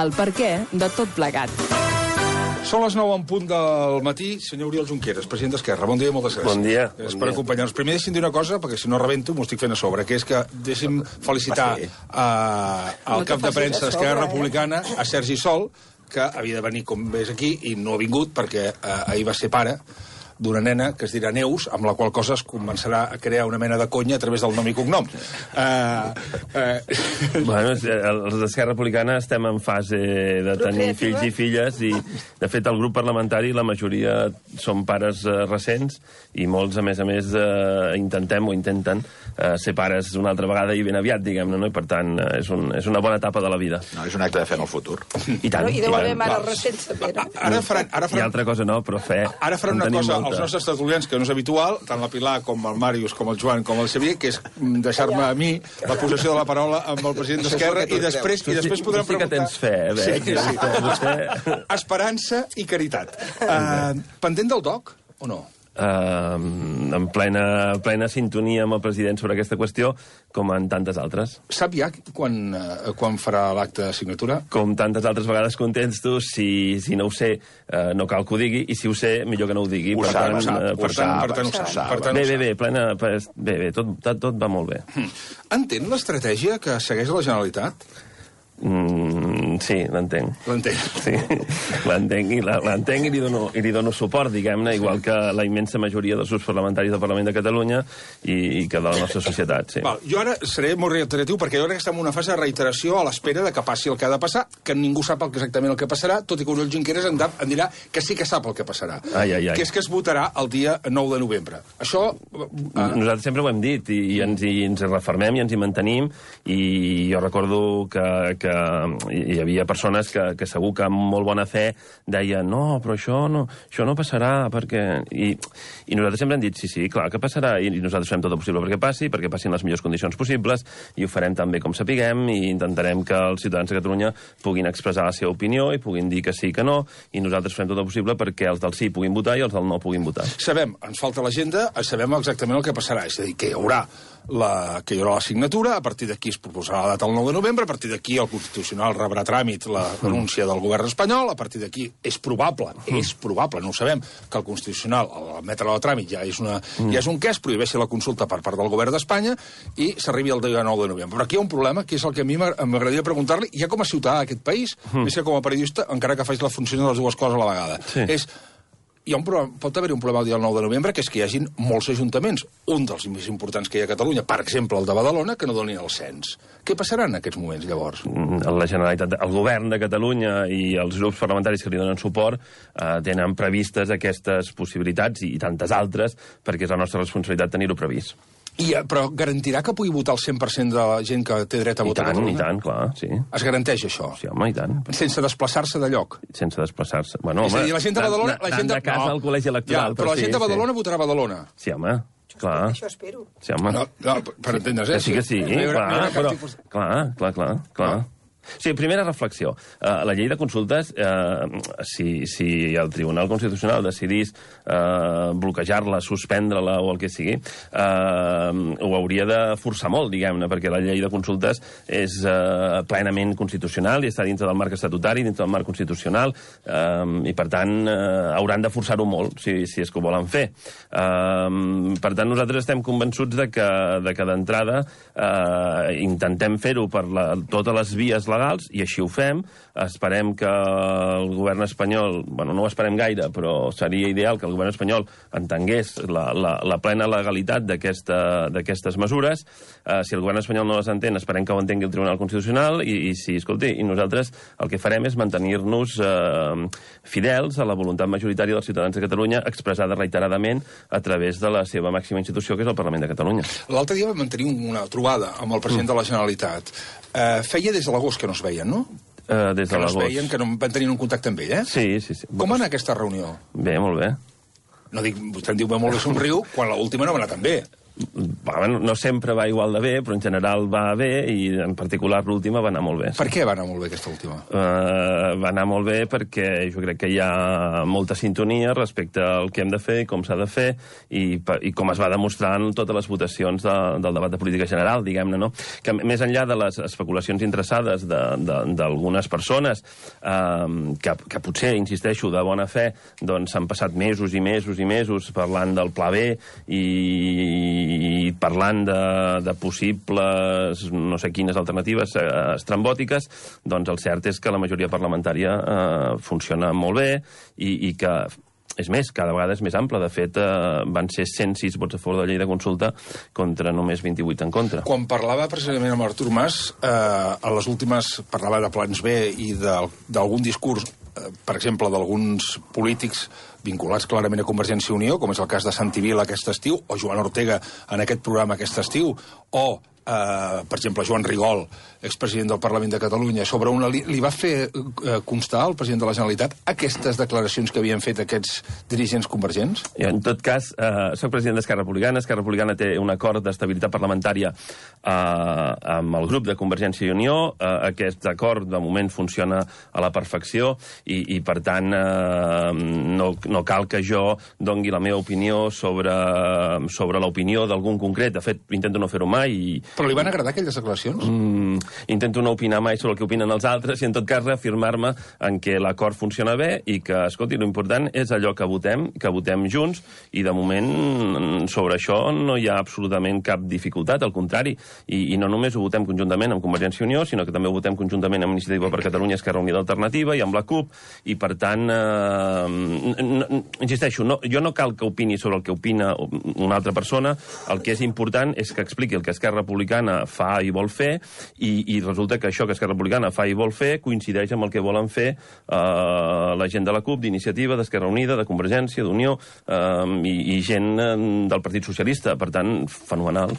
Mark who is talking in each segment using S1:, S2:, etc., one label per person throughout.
S1: el perquè de tot plegat.
S2: Són les 9 en punt del matí. Senyor Oriol Junqueras, president d'Esquerra, bon dia i moltes gràcies.
S3: Bon dia.
S2: Per acompanyar-nos. Primer deixi'm dir una cosa, perquè si no rebento m'ho estic fent a sobre, que és que deixi'm felicitar al cap de premsa d'Esquerra Republicana, a Sergi Sol, que havia de venir com ves aquí i no ha vingut perquè ahir va ser pare d'una nena que es dirà Neus, amb la qual cosa es començarà a crear una mena de conya a través del nom i cognom.
S3: Bueno, els d'Esquerra Republicana estem en fase de tenir fills i filles i, de fet, el grup parlamentari, la majoria són pares recents i molts, a més, intenten ser pares una altra vegada i ben aviat, diguem-ne, no? I, per tant, és una bona etapa de la vida.
S4: No, és un acte de fe en el futur.
S3: I tant.
S5: I deu haver mares recents, també, no?
S2: Ara faran...
S3: I altra cosa no, però fe...
S2: Ara faran una cosa als nostres tertulians que no és habitual, tant la Pilar com el Màrius, com el Joan, com el Xavier, que és deixar-me a mi la possessió de la paraula amb el president d'Esquerra i després podrem preguntar...
S3: Sí que tens fe,
S2: Sí. Esperança i caritat. Pendent del DOC o no?
S3: En plena sintonia amb el president sobre aquesta qüestió, com en tantes altres.
S2: Sap ja quan farà l'acte de signatura?
S3: Com tantes altres vegades contesto, si no ho sé, no cal que ho digui, i si ho sé, millor que no ho digui.
S2: Per tant, ho sap.
S3: Bé, tot va molt bé.
S2: Entén l'estratègia que segueix la Generalitat?
S3: Sí, l'entenc.
S2: L'entenc.
S3: Sí, l'entenc i li dono suport, diguem-ne, igual que la immensa majoria dels grups parlamentaris del Parlament de Catalunya i que de la nostra societat, sí.
S2: Val, jo ara seré molt reiteratiu perquè jo crec que estem en una fase de reiteració a l'espera de que passi el que ha de passar, que ningú sap exactament el que passarà, tot i que Oriol Junqueras em dirà que sí que sap el que passarà. Que és que es votarà el dia 9 de novembre. Això...
S3: Nosaltres sempre ho hem dit i ens refermem i ens hi mantenim, i jo recordo que hi havia persones que segur que amb molt bona fe deien no, però això no passarà perquè... I nosaltres sempre hem dit sí, clar que passarà, i nosaltres fem tot el possible perquè passin les millors condicions possibles, i ho farem tan bé com sapiguem, i intentarem que els ciutadans de Catalunya puguin expressar la seva opinió i puguin dir que sí, que no, i nosaltres fem tot el possible perquè els del sí puguin votar i els del no puguin votar.
S2: Sabem, ens falta l'agenda, sabem exactament el que passarà, és a dir, que hi haurà la signatura, a partir d'aquí es proposarà la data el 9 de novembre, a partir d'aquí el Constitucional rebrà tràmit la denúncia del govern espanyol, a partir d'aquí és probable, no ho sabem, que el Constitucional, al admetre-la a tràmit, ja és un que es prohibeixi la consulta per part del govern d'Espanya i s'arribi al dia 9 de novembre. Però aquí hi ha un problema, que és el que a mi m'agradaria preguntar-li, ja com a ciutadà d'aquest país, més que com a periodista, encara que faig la funció de les dues coses a la vegada. És... pot haver-hi un problema el dia 9 de novembre, que és que hi hagin molts ajuntaments, un dels més importants que hi ha a Catalunya, per exemple el de Badalona, que no donin el cens. Què passarà en aquests moments, llavors?
S3: La Generalitat, el govern de Catalunya i els grups parlamentaris que li donen suport tenen previstes aquestes possibilitats i tantes altres, perquè és la nostra responsabilitat tenir-ho previst.
S2: Però garantirà que pugui votar el 100% de la gent que té dret a votar a Catalunya?
S3: I tant, clar, sí.
S2: Es garanteix això?
S3: Sí, home, i tant.
S2: Sense desplaçar-se de lloc?
S3: Sense desplaçar-se. Bueno,
S2: és a dir, la gent de Badalona...
S3: Anant de casa al col·legi electoral.
S2: Però la gent de Badalona votarà a Badalona.
S3: Sí, home, clar.
S5: Això espero.
S3: Sí, home.
S2: No, per entendre's,
S3: sí que sí, clar. Sí, primera reflexió. La llei de consultes, si el Tribunal Constitucional decidís bloquejar-la, suspendre-la o el que sigui, ho hauria de forçar molt, diguem-ne, perquè la llei de consultes és plenament constitucional i està dintre del marc estatutari, dintre del marc constitucional, i per tant hauran de forçar-ho molt, si és que ho volen fer. Per tant, nosaltres estem convençuts de que d'entrada intentem fer-ho per totes les vies legals, i així ho fem. Esperem que el govern espanyol, bueno, no ho esperem gaire, però seria ideal que el govern espanyol entengués la plena legalitat d'aquestes mesures. Si el govern espanyol no les entén, esperem que ho entengui el Tribunal Constitucional, i nosaltres el que farem és mantenir-nos fidels a la voluntat majoritària dels ciutadans de Catalunya, expressada reiteradament a través de la seva màxima institució, que és el Parlament de Catalunya.
S2: L'altre dia vam mantenir una trobada amb el president de la Generalitat. Feia des de l'agost que no es veien, no?
S3: Des de l'agost.
S2: Que no es veien, que no van tenir un contacte amb ell, eh?
S3: Sí.
S2: Com va anar aquesta reunió?
S3: Bé, molt bé.
S2: No dic, vostè em diu, molt bé, somriu, quan l'última no va anar tan bé.
S3: Bueno, no sempre va igual de bé, però en general va bé, i en particular l'última va anar molt bé.
S2: Per què va anar molt bé aquesta última?
S3: Va anar molt bé perquè jo crec que hi ha molta sintonia respecte al que hem de fer i com s'ha de fer, i com es va demostrar en totes les votacions del debat de política general, diguem-ne, no? Que més enllà de les especulacions interessades d'algunes persones, que potser, insisteixo, de bona fe, doncs s'han passat mesos i mesos i mesos parlant del Pla B i parlant de possibles no sé quines alternatives estrambòtiques, doncs el cert és que la majoria parlamentària funciona molt bé i que, és més, cada vegada és més ampla. De fet, van ser 106 vots a favor de la llei de consulta contra només 28 en contra.
S2: Quan parlava precisament amb Artur Mas, a les últimes parlava de plans B i d'algun discurs, per exemple, d'alguns polítics vinculats clarament a Convergència i Unió, com és el cas de Santi Vila aquest estiu, o Joan Ortega en aquest programa aquest estiu, o, per exemple, Joan Rigol, expresident del Parlament de Catalunya, sobre li va fer constar al president de la Generalitat aquestes declaracions que havien fet aquests dirigents convergents?
S3: En tot cas, soc president d'Esquerra Republicana. Esquerra Republicana té un acord d'estabilitat parlamentària amb el grup de Convergència i Unió. Aquest acord, de moment, funciona a la perfecció i per tant, no cal que jo dongui la meva opinió sobre l'opinió d'algun concret. De fet, intento no fer-ho mai.
S2: Però li van agradar aquelles declaracions?
S3: Intento no opinar mai sobre el que opinen els altres i, en tot cas, reafirmar-me en què l'acord funciona bé i que, escolti, l'important és allò que votem junts, i de moment sobre això no hi ha absolutament cap dificultat, al contrari. I no només ho votem conjuntament amb Convergència i Unió, sinó que també ho votem conjuntament amb Iniciativa per Catalunya, Esquerra Unida Alternativa i amb la CUP, i per tant, insisteixo, jo no cal que opini sobre el que opina una altra persona. El que és important és que expliqui el que Esquerra Republicana fa i vol fer, i resulta que això que Esquerra Republicana fa i vol fer coincideix amb el que volen fer la gent de la CUP, d'Iniciativa, d'Esquerra Unida, de Convergència, d'Unió, i gent del Partit Socialista. Per tant, fenomenal.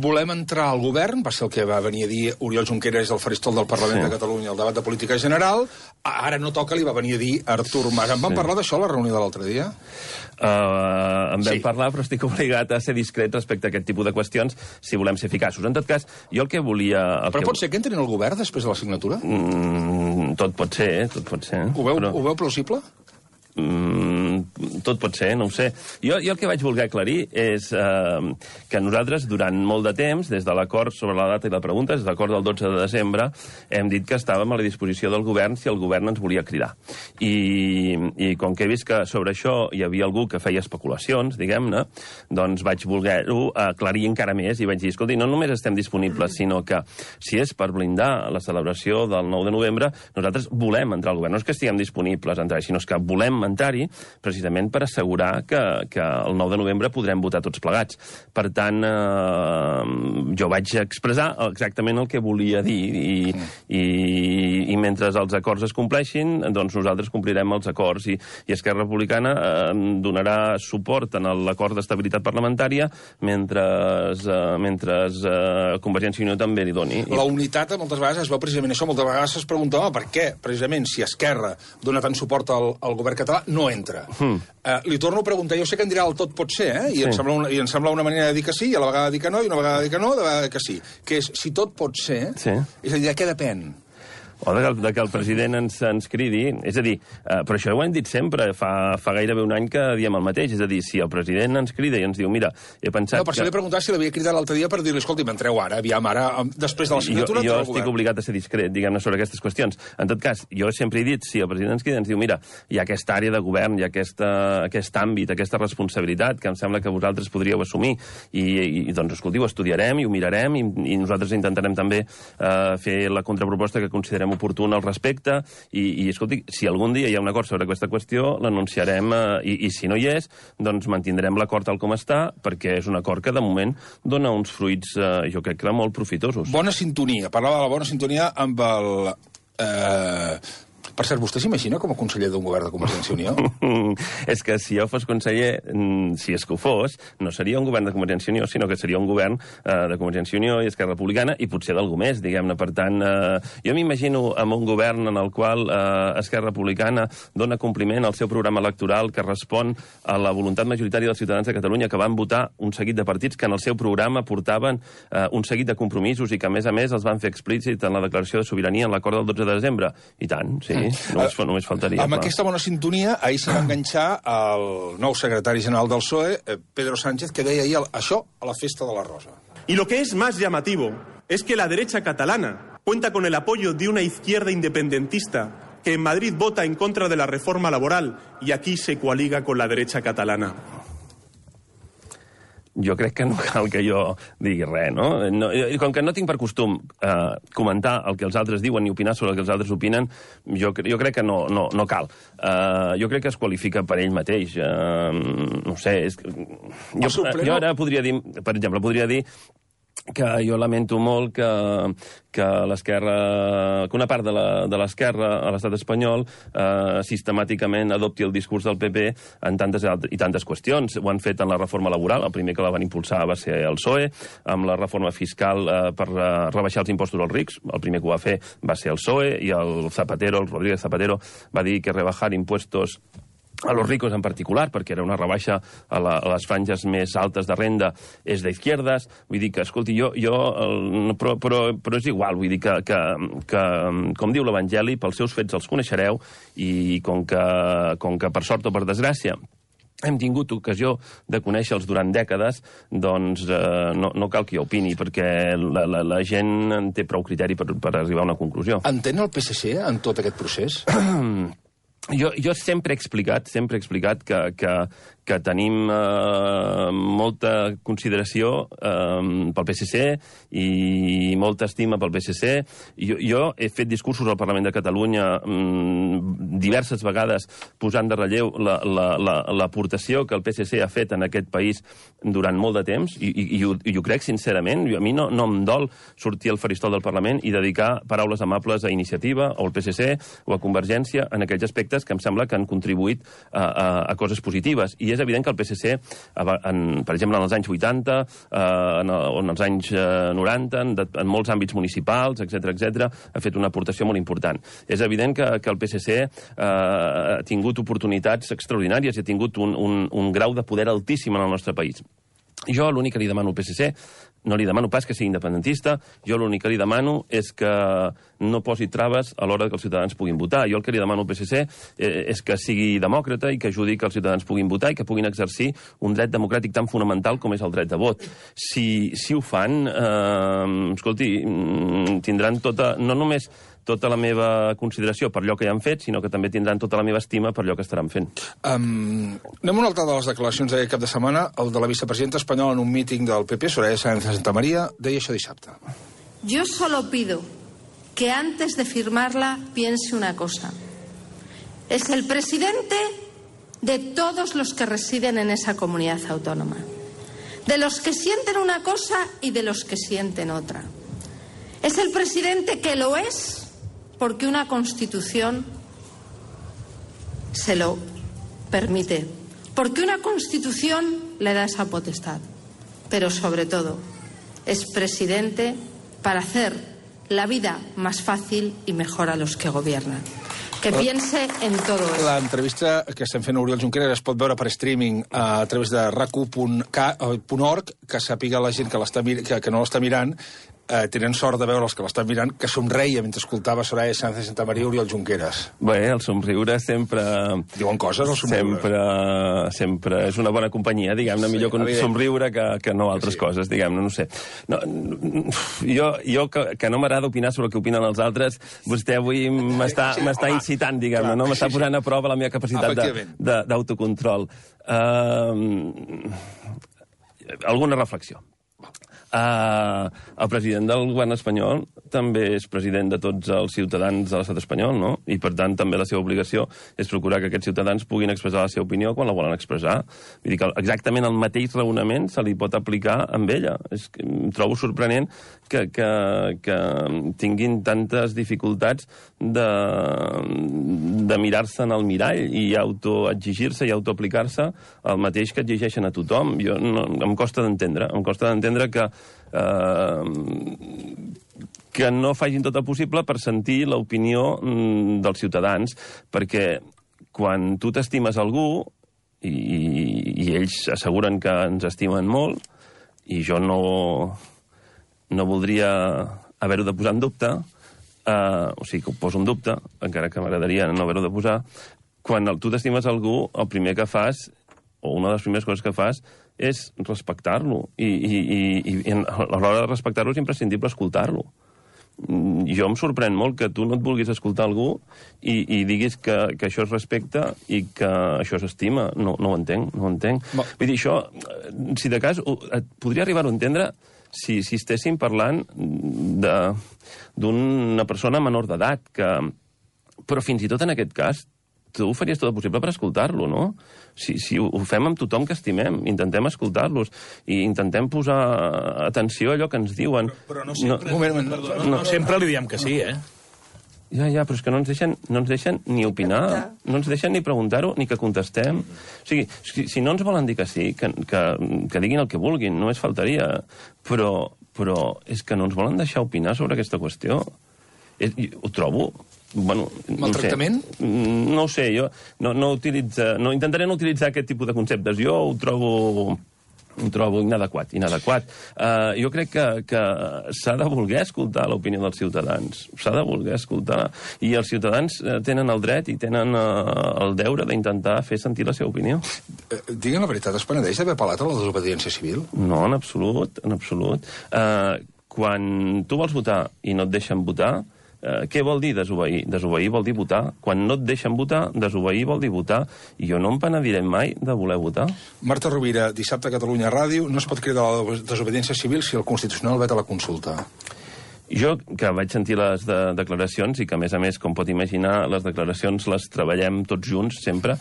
S2: Volem entrar al govern, va ser el que va venir a dir Oriol Junqueras al faristol del Parlament de Catalunya al debat de política general. Ara no toca, li va venir a dir Artur Mas. En van parlar d'això a la reunió de l'altre dia?
S3: En vam parlar, però estic obligat a ser discret respecte a aquest tipus de qüestions si volem ser eficaços. En tot cas, jo el que volia...
S2: Però pot ser que entrin al govern després de la signatura?
S3: Tot pot ser.
S2: Ho veu plausible?
S3: Tot pot ser, no ho sé. Jo el que vaig voler aclarir és que nosaltres, durant molt de temps, des de l'acord sobre la data i la pregunta, des de l'acord del 12 de desembre, hem dit que estàvem a la disposició del govern si el govern ens volia cridar. I com que he vist que sobre això hi havia algú que feia especulacions, diguem-ne, doncs vaig voler-ho aclarir encara més i vaig dir, escolti, no només estem disponibles, sinó que si és per blindar la celebració del 9 de novembre, nosaltres volem entrar al govern. No és que estiguem disponibles a entrar, sinó que volem entrar-hi precisament per assegurar que el 9 de novembre podrem votar tots plegats. Per tant, jo vaig expressar exactament el que volia dir i mentre els acords es compleixin, doncs nosaltres complirem els acords i Esquerra Republicana donarà suport en l'acord d'estabilitat parlamentària mentre Convergència i Unió també li doni.
S2: La unitat moltes vegades es veu precisament això, moltes vegades es preguntava per què, precisament, si Esquerra dona tant suport al govern català, no entra. Li torno a preguntar, jo sé que em dirà el tot pot ser, i em sembla una manera de dir que sí, i a la vegada dir que no, i una vegada dir que no, de vegada que sí. Que és, si tot pot ser, és a dir, de què depèn?
S3: O de que el president ens cridi. És a dir, però això ho hem dit sempre, fa gairebé un any que diem el mateix. És a dir, si el president ens crida i ens diu, mira, he pensat...
S2: No, per això li he preguntat si l'havia cridat l'altre dia per dir-li, escolti, m'entreu ara, aviam, ara, després de la signatura...
S3: Jo estic obligat a ser discret, diguem-ne, sobre aquestes qüestions. En tot cas, jo sempre he dit, si el president ens crida, ens diu, mira, hi ha aquesta àrea de govern, hi ha aquest àmbit, aquesta responsabilitat que em sembla que vosaltres podríeu assumir. I doncs, escolti, ho estudiarem i ho mirarem i nosaltres intentarem també fer la contraproposta que considerem oportuna al respecte i escolti, si algun dia hi ha un acord sobre aquesta qüestió, l'anunciarem i si no hi és, doncs mantindrem l'acord tal com està, perquè és un acord que de moment dona uns fruits, jo crec que molt profitosos.
S2: Bona sintonia. Parlava de la bona sintonia amb el Per cert, vostè s'imagina com a conseller d'un govern de Convergència i Unió?
S3: És que si jo fos conseller, si és que ho fos, no seria un govern de Convergència i Unió, sinó que seria un govern de Convergència i Unió i Esquerra Republicana i potser d'algú més, diguem-ne. Per tant, jo m'imagino amb un govern en el qual Esquerra Republicana dona compliment al seu programa electoral que respon a la voluntat majoritària dels ciutadans de Catalunya que van votar un seguit de partits que en el seu programa portaven un seguit de compromisos i que, a més, els van fer explícit en la declaració de sobirania en l'acord del 12 de desembre. I tant, sí, només faltaria.
S2: Amb aquesta bona sintonia, ahir se va enganxar el nou secretari general del PSOE, Pedro Sánchez, que deia ahir això a la Festa de la Rosa.
S4: Y lo que es más llamativo es que la derecha catalana cuenta con el apoyo de una izquierda independentista que en Madrid vota en contra de la reforma laboral y aquí se coaliga con la derecha catalana.
S3: Jo crec que no cal que jo digui res, no? Com que no tinc per costum comentar el que els altres diuen ni opinar sobre el que els altres opinen, jo crec que no cal. Jo crec que es qualifica per ell mateix. No sé, jo ara podria dir, per exemple, que jo lamento molt que l'esquerra, que una part de l'esquerra a l'estat espanyol sistemàticament adopti el discurs del PP en tantes qüestions. Ho han fet en la reforma laboral, el primer que la van impulsar va ser el PSOE, amb la reforma fiscal per rebaixar els impostos als rics, el primer que ho va fer va ser el PSOE, i el Rodríguez Zapatero, va dir que rebajar impuestos a los ricos en particular, perquè era una rebaixa a les franges més altes de renda, és d'izquierdes. Vull dir que, escolti, però és igual, vull dir que com diu l'Evangeli, pels seus fets els coneixereu, i com que per sort o per desgràcia hem tingut ocasió de conèixer-los durant dècades, doncs no cal que jo opini, perquè la gent en té prou criteri per arribar a una conclusió.
S2: Entén el PSC en tot aquest procés?
S3: Jo sempre he explicat que tenim molta consideració pel PSC i molta estima pel PSC. Jo he fet discursos al Parlament de Catalunya diverses vegades posant de relleu l'aportació que el PSC ha fet en aquest país durant molt de temps, i ho crec sincerament. A mi no em dol sortir al faristol del Parlament i dedicar paraules amables a Iniciativa o al PSC o a Convergència en aquells aspectes que em sembla que han contribuït a coses positives. I és evident que el PSC, per exemple, en els anys 80, en els anys 90, en molts àmbits municipals, etc., ha fet una aportació molt important. És evident que el PSC ha tingut oportunitats extraordinàries i ha tingut un grau de poder altíssim en el nostre país. Jo l'únic que li demano al PSC, no li demano pas que sigui independentista, jo l'únic que li demano és que no posi traves a l'hora que els ciutadans puguin votar. Jo el que li demano al PSC és que sigui demòcrata i que ajudi que els ciutadans puguin votar i que puguin exercir un dret democràtic tan fonamental com és el dret de vot. Si ho fan, escolti, tindran no només tota la meva consideració per allò que ja han fet, sinó que també tindran tota la meva estima per allò que estaran fent.
S2: Anem a una altra de les declaracions d'aquest cap de setmana. El de la vicepresidenta espanyola en un míting del PP, Soraya Sáenz de Santamaría, deia això dissabte.
S5: Yo solo pido que antes de firmarla piense una cosa. Es el presidente de todos los que residen en esa comunidad autónoma. De los que sienten una cosa y de los que sienten otra. Es el presidente que lo es porque una Constitución se lo permite, porque una Constitución le da esa potestad. Pero sobre todo, es presidente para hacer la vida más fácil y mejor a los que gobiernan. Que piense en todo eso.
S2: L'entrevista que estem fent a Oriol Junqueras es pot veure per streaming a través de rac1.org, que sàpiga la gent que no l'està mirant, tenen sort de veure els que l'estan mirant, que somreia mentre escoltava Soraya Sáenz de Santamaría i Oriol Junqueras.
S3: Bé, el somriure sempre...
S2: Diuen coses, el somriure.
S3: Sempre és una bona companyia, diguem-ne, millor somriure que no altres coses, diguem-ne, no sé. Jo que no m'agrada opinar sobre el que opinen els altres, vostè avui m'està incitant, diguem-ne, no? M'està posant a prova la meva capacitat d'autocontrol. Alguna reflexió. El president del govern espanyol també és president de tots els ciutadans de l'estat espanyol, no? I, per tant, també la seva obligació és procurar que aquests ciutadans puguin expressar la seva opinió quan la volen expressar. Vull dir que exactament el mateix raonament se li pot aplicar amb ella. Em trobo sorprenent que tinguin tantes dificultats de mirar-se en el mirall i autoexigir-se i autoaplicar-se el mateix que exigeixen a tothom. Em costa d'entendre que no facin tot el possible per sentir l'opinió dels ciutadans, perquè quan tu t'estimes algú, i ells asseguren que ens estimen molt, i jo no voldria haver-ho de posar en dubte, o sigui que ho poso en dubte, encara que m'agradaria no haver-ho de posar, quan tu t'estimes algú, el primer que fas, o una de les primeres coses que fas, és respectar-lo. I a l'hora de respectar-lo és imprescindible escoltar-lo. Jo em sorprèn molt que tu no et vulguis escoltar algú i diguis que això es respecta i que això s'estima. No ho entenc, no ho entenc. Vull dir, això, si de cas, podria arribar a entendre si estéssim parlant d'una persona menor d'edat, però fins i tot en aquest cas tu faries tot el possible per escoltar-lo, no? Si ho fem amb tothom que estimem, intentem escoltar-los i intentem posar atenció a allò que ens diuen.
S2: Però no sempre, no sempre li diem que sí, eh?
S3: Ja, però és que no ens deixen ni opinar, no ens deixen ni preguntar-ho, ni que contestem. O sigui, si no ens volen dir que sí, que diguin el que vulguin, només faltaria. Però és que no ens volen deixar opinar sobre aquesta qüestió. Ho trobo...
S2: Maltractament?
S3: No ho sé, jo intentaré no utilitzar aquest tipus de conceptes. Jo ho trobo inadequat. Jo crec que s'ha de voler escoltar l'opinió dels ciutadans. S'ha de voler escoltar. I els ciutadans tenen el dret i tenen el deure d'intentar fer sentir la seva opinió.
S2: Digue'm la veritat, es penedeix d'haver apel·lat a la desobediència civil?
S3: No, en absolut, en absolut. Quan tu vols votar i no et deixen votar, què vol dir desobeir? Desobeir vol dir votar. Quan no et deixen votar, desobeir vol dir votar. I jo no em penediré mai de voler votar.
S2: Marta Rovira, dissabte a Catalunya Ràdio, no es pot cridar a la desobediència civil si el Constitucional veta la consulta.
S3: Jo, que vaig sentir les declaracions i que, a més, com pot imaginar, les declaracions les treballem tots junts, sempre,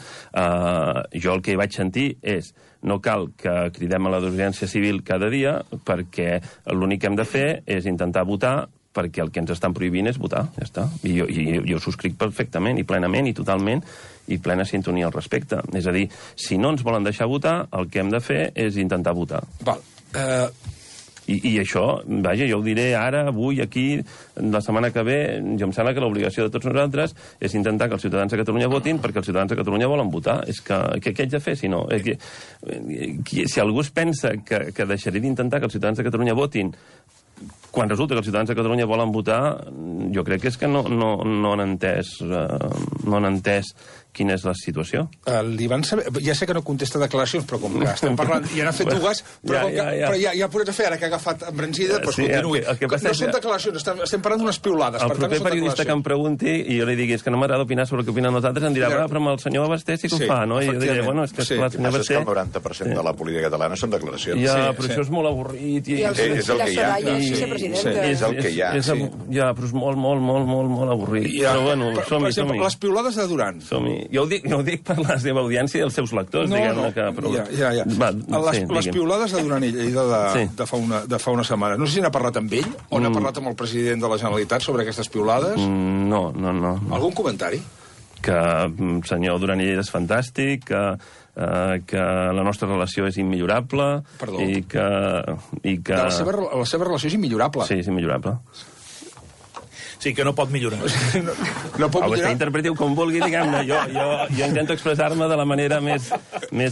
S3: jo el que vaig sentir és no cal que cridem a la desobediència civil cada dia perquè l'únic que hem de fer és intentar votar perquè el que ens estan prohibint és votar, ja està. I jo ho subscric perfectament i plenament i totalment i plena sintonia al respecte. És a dir, si no ens volen deixar votar, el que hem de fer és intentar votar.
S2: Val.
S3: I això, vaja, jo ho diré ara, avui, aquí, la setmana que ve, jo em sembla que l'obligació de tots nosaltres és intentar que els ciutadans de Catalunya votin perquè els ciutadans de Catalunya volen votar. És que què haig de fer, si no? Si algú es pensa que deixaré d'intentar que els ciutadans de Catalunya votin quan resulta que els ciutadans de Catalunya volen votar, jo crec que és que no han entès quina és la situació.
S2: Li van saber... Ja sé que no contesta declaracions, però com que estem parlant... I n'ha fet dues, però ja podràs fer, ara que ha agafat embranzida, doncs continuï. No són declaracions, estem parlant d'unes piulades.
S3: El proper periodista que em pregunti i jo li digui que no m'agrada opinar sobre el que opinen nosaltres, em dirà, però amb el senyor Basté sí que ho fa, no? I jo diré, bueno, és que el senyor Basté...
S6: El 90% de la política catalana són declaracions.
S3: Ja, però això és molt avorrit.
S6: És el que hi ha.
S3: És el que hi ha, sí. Ja, però és molt avorrit. Però bueno, som-hi.
S2: Per exemple, les piulades de Duran.
S3: Som-hi. Jo ho dic per la seva audiència i els seus lectors, diguem-ne que...
S2: Les piulades de Duran i Lleida de fa una setmana. No sé si n'ha parlat amb ell o n'ha parlat amb el president de la Generalitat sobre aquestes piulades.
S3: No.
S2: Algun comentari?
S3: Que senyor Duran i Lleida és fantàstic, que la nostra relació és immillorable...
S2: Perdó.
S3: I que...
S2: La seva relació és immillorable.
S3: Sí, és immillorable.
S7: Sí, que no pot millorar.
S2: No pot millorar?
S3: Vostè interpretiu com vulgui, diguem-ne. Jo intento expressar-me de la manera més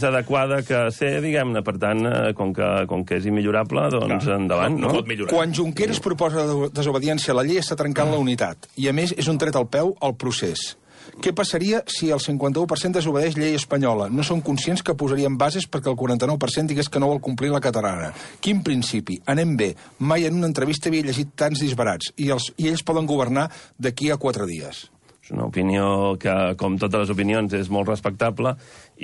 S3: adequada que sé, diguem-ne. Per tant, com que és immillorable, doncs endavant, no?
S7: No pot millorar.
S2: Quan Junqueras proposa desobediència a la llei està trencant la unitat. I, a més, és un tret al peu al procés. Què passaria si el 51% desobedeix llei espanyola? No són conscients que posarien bases perquè el 49% digués que no vol complir la catalana. Quin principi? Anem bé. Mai en una entrevista havia llegit tants disbarats. I ells poden governar d'aquí a 4 dies.
S3: És una opinió que, com totes les opinions, és molt respectable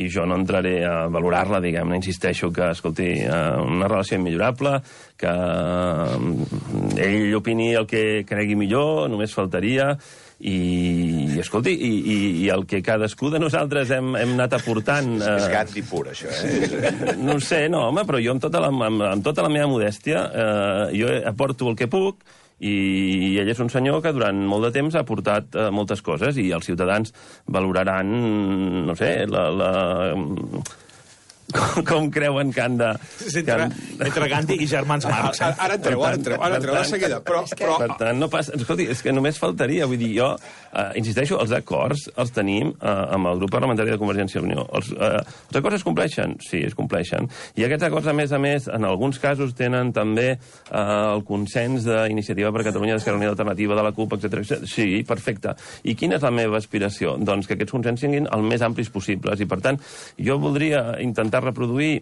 S3: i jo no entraré a valorar-la, diguem-ne. Insisteixo que, escolti, una relació immillorable, que ell opini el que cregui millor, només faltaria, i escolti, i el que cadascú de nosaltres hem anat aportant...
S6: És Gandhi pur, això,
S3: No ho sé, no, home, però jo amb tota la meva modèstia jo aporto el que puc, i ell és un senyor que durant molt de temps ha aportat moltes coses i els ciutadans valoraran, no sé, com creuen que han de...
S7: Entre Gandhi i germans Marx.
S2: Ara entreu de seguida. Però...
S3: Per tant, no passa... Escolti, és que només faltaria. Vull dir, jo, insisteixo, els acords els tenim amb el grup parlamentari de Convergència i Unió. Els acords es compleixen? Sí, es compleixen. I aquests acords, a més, en alguns casos tenen també el consens d'Iniciativa per Catalunya, d'Esquerra Unida Alternativa, de la CUP, etc. Sí, perfecte. I quina és la meva aspiració? Doncs que aquests consens siguin el més amplis possibles. I, per tant, jo voldria intentar reproduir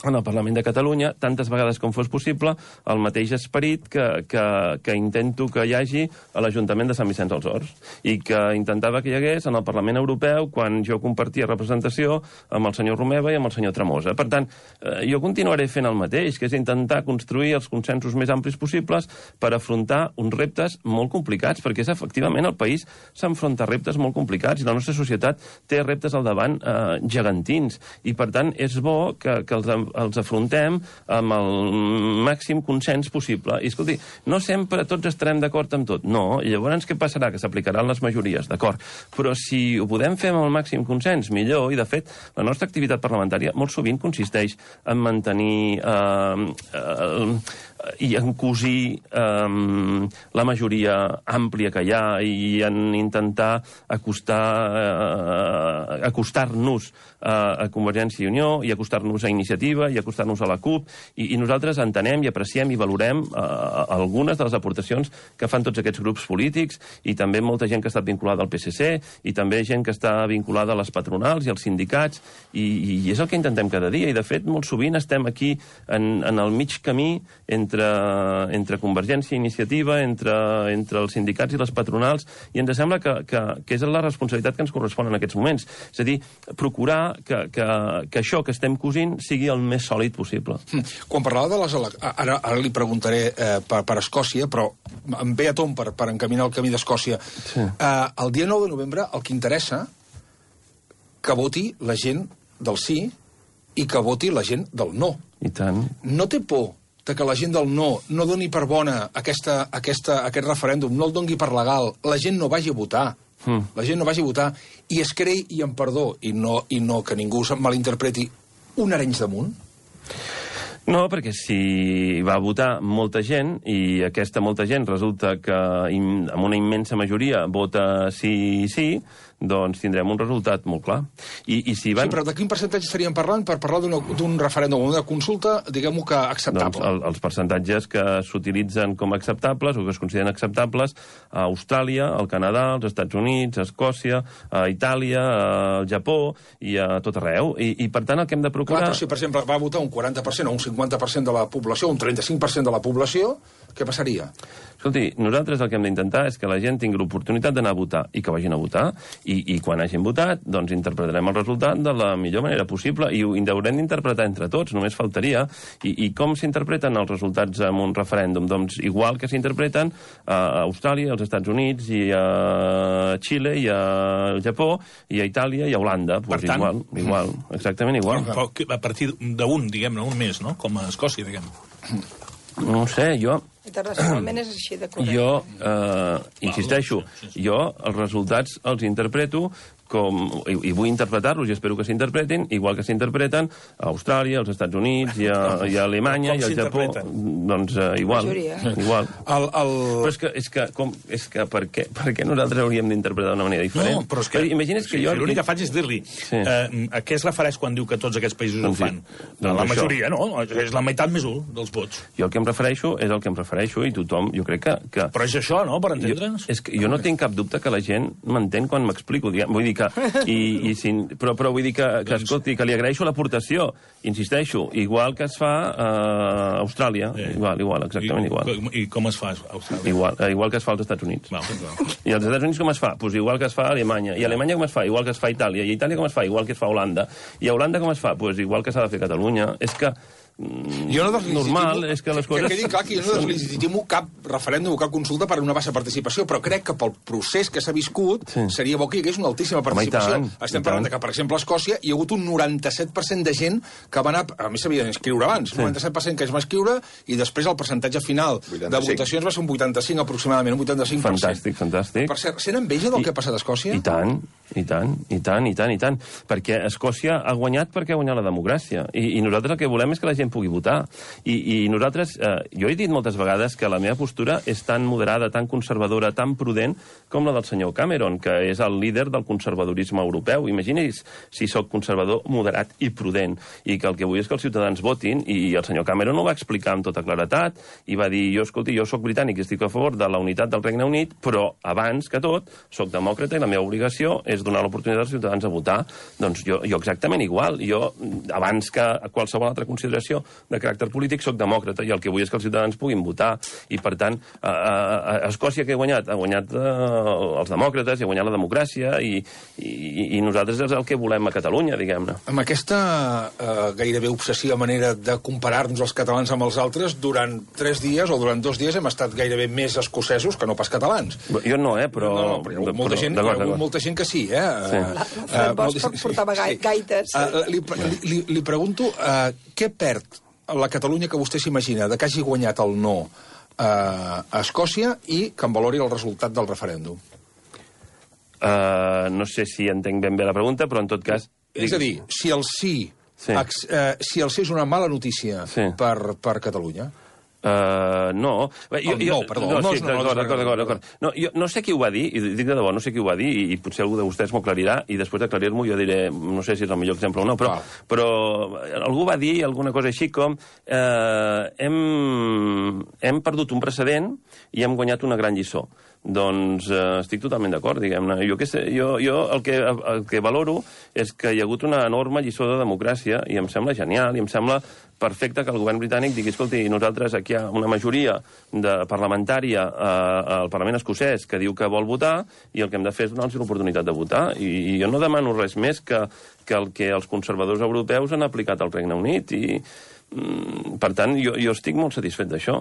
S3: en el Parlament de Catalunya, tantes vegades com fos possible, el mateix esperit que intento que hi hagi a l'Ajuntament de Sant Vicenç dels Horts i que intentava que hi hagués en el Parlament Europeu quan jo compartia representació amb el senyor Romeva i amb el senyor Tremosa. Per tant, jo continuaré fent el mateix, que és intentar construir els consensos més amplis possibles per afrontar uns reptes molt complicats, perquè és efectivament el país s'enfronta a reptes molt complicats i la nostra societat té reptes al davant gegantins i, per tant, és bo que els afrontem amb el màxim consens possible. I, escolti, no sempre tots estarem d'acord amb tot. No, i llavors què passarà? Que s'aplicaran les majories, d'acord. Però si ho podem fer amb el màxim consens, millor, i de fet, la nostra activitat parlamentària molt sovint consisteix en mantenir i en cosir la majoria àmplia que hi ha i en intentar acostar-nos a Convergència i Unió i acostar-nos a Iniciativa i acostar-nos a la CUP i nosaltres entenem i apreciem i valorem algunes de les aportacions que fan tots aquests grups polítics i també molta gent que ha estat vinculada al PSC i també gent que està vinculada a les patronals i als sindicats i és el que intentem cada dia i de fet molt sovint estem aquí en el mig camí entre Convergència i Iniciativa, entre els sindicats i les patronals, i ens sembla que és la responsabilitat que ens correspon en aquests moments. És a dir, procurar que això que estem cosint sigui el més sòlid possible.
S2: Quan parlava de les eleccions... Ara li preguntaré per Escòcia, però em ve a tom per encaminar el camí d'Escòcia. Sí. El dia 9 de novembre el que interessa que voti la gent del sí i que voti la gent del no.
S3: I tant.
S2: No té por que la gent del no doni per bona aquest referèndum, no el doni per legal, la gent no vagi a votar. La gent no vagi a votar i es creï, i amb perdó, i no que ningú se'n malinterpreti, un Arenys de Munt?
S3: No, perquè si va votar molta gent i aquesta molta gent resulta que amb una immensa majoria vota sí, doncs tindrem un resultat molt clar. Sí,
S2: però de quin percentatge estaríem parlant per parlar d'un referèndum o d'una consulta, diguem-ho que acceptable?
S3: Doncs els percentatges que s'utilitzen com acceptables o que es consideren acceptables a Austràlia, al Canadà, als Estats Units, a Escòcia, a Itàlia, al Japó i a tot arreu. I per tant el que hem de procurar...
S2: Clar, però si, per exemple, va votar un 40% o un 50% de la població, un 35% de la població, què passaria?
S3: Escolti, nosaltres el que hem d'intentar és que la gent tingui l'oportunitat d'anar a votar i que vagin a votar i quan hagin votat, doncs interpretarem el resultat de la millor manera possible i ho haurem d'interpretar entre tots, només faltaria. I com s'interpreten els resultats en un referèndum? Doncs igual que s'interpreten a Austràlia, als Estats Units i a Xile i al Japó i a Itàlia i a Holanda.
S7: Per tant...
S3: Igual, exactament igual.
S7: A partir d'un, diguem-ne, un més, no? Com a Escòcia, diguem.
S3: No ho sé, jo...
S8: Internacionalment és així de correcte.
S3: Jo, insisteixo, jo els resultats els interpreto i vull interpretar-los i espero que s'interpretin igual que s'interpreten a Austràlia, als Estats Units i a Alemanya i al Japó. Doncs igual. Però és que per què nosaltres hauríem d'interpretar d'una manera diferent?
S7: No, però és que
S3: imagina't que jo...
S7: L'únic que faig és dir-li a què es refereix quan diu que tots aquests països ho fan? La majoria, no? És la meitat més 1 dels vots.
S3: Jo el que em refereixo és el que em refereixo i tothom, jo crec que...
S7: Però és això, no?, per entendre'ns?
S3: És que jo no tinc cap dubte que la gent m'entén quan m'explico. Vull dir Però vull dir que, escolti, que li agraeixo l'aportació, insisteixo, igual que es fa a Austràlia, igual, exactament igual.
S7: I com es fa a Austràlia?
S3: Igual que es fa als Estats Units. I als Estats Units com es fa? Doncs igual que es fa a Alemanya. I a Alemanya com es fa? Igual que es fa a Itàlia. I a Itàlia com es fa? Igual que es fa a Holanda. I a Holanda com es fa? Doncs igual que s'ha de fer a Catalunya. És que normal és que les coses...
S2: Que quedi clar que jo no deslegitimo cap referèndum o cap consulta per una baixa participació, però crec que pel procés que s'ha viscut seria bo que hi hagués una altíssima participació. Estem parlant que, per exemple, a Escòcia hi ha hagut un 97% de gent que va anar... A més, s'havia d'inscriure abans. 97% que es va inscriure i després el percentatge final de votacions va ser un 85 aproximadament, un 85%.
S3: Fantàstic.
S2: Per cert, sent enveja del que ha passat a Escòcia?
S3: I tant. Perquè Escòcia ha guanyat perquè ha guanyat la democràcia. I nosaltres el que volem és que la gent pugui votar. I nosaltres, jo he dit moltes vegades que la meva postura és tan moderada, tan conservadora, tan prudent com la del senyor Cameron, que és el líder del conservadorisme europeu. Imagini's si sóc conservador, moderat i prudent, i que el que vull és que els ciutadans votin, i el senyor Cameron ho va explicar amb tota claretat, i va dir, escolti, jo sóc britànic i estic a favor de la unitat del Regne Unit, però abans que tot, sóc demòcrata i la meva obligació és donar l'oportunitat als ciutadans a votar. Doncs jo exactament igual. Jo, abans que qualsevol altra consideració de caràcter polític, soc demòcrata, i el que vull és que els ciutadans puguin votar. I, per tant, a Escòcia què ha guanyat? Ha guanyat els demòcrates, i ha guanyat la democràcia, i nosaltres és el que volem a Catalunya, diguem-ne.
S2: Amb aquesta gairebé obsessiva manera de comparar-nos els catalans amb els altres, durant 3 dies o durant 2 dies hem estat gairebé més escocesos que no pas catalans.
S3: Jo no, però...
S2: Hi ha molta gent que sí,
S8: L'Alfred Bosch portava gaites.
S2: Li pregunto, què perd la Catalunya que vostè s'imagina de que hagi guanyat el no a Escòcia i que en valori el resultat del referèndum?
S3: No sé si entenc ben bé la pregunta, però en tot cas...
S2: És a dir, si el sí és una mala notícia per Catalunya...
S3: No.
S2: Perdó.
S3: D'acord. No sé qui ho va dir, i dic de debò, no sé qui ho va dir, i potser algú de vostès m'ho aclarirà, i després d'aclarir-m'ho jo diré, no sé si és el millor exemple o no, però algú va dir alguna cosa així com hem perdut un precedent i hem guanyat una gran lliçó. Doncs estic totalment d'acord, diguem-ne. Jo el que valoro és que hi ha hagut una enorme lliçó de democràcia, i em sembla genial, i em sembla perfecte que el govern britànic digui, escolti, nosaltres aquí hi ha una majoria parlamentària al Parlament escocès que diu que vol votar, i el que hem de fer és donar-los l'oportunitat de votar. I jo no demano res més que el que els conservadors europeus han aplicat al Regne Unit, i per tant, jo estic molt satisfet d'això.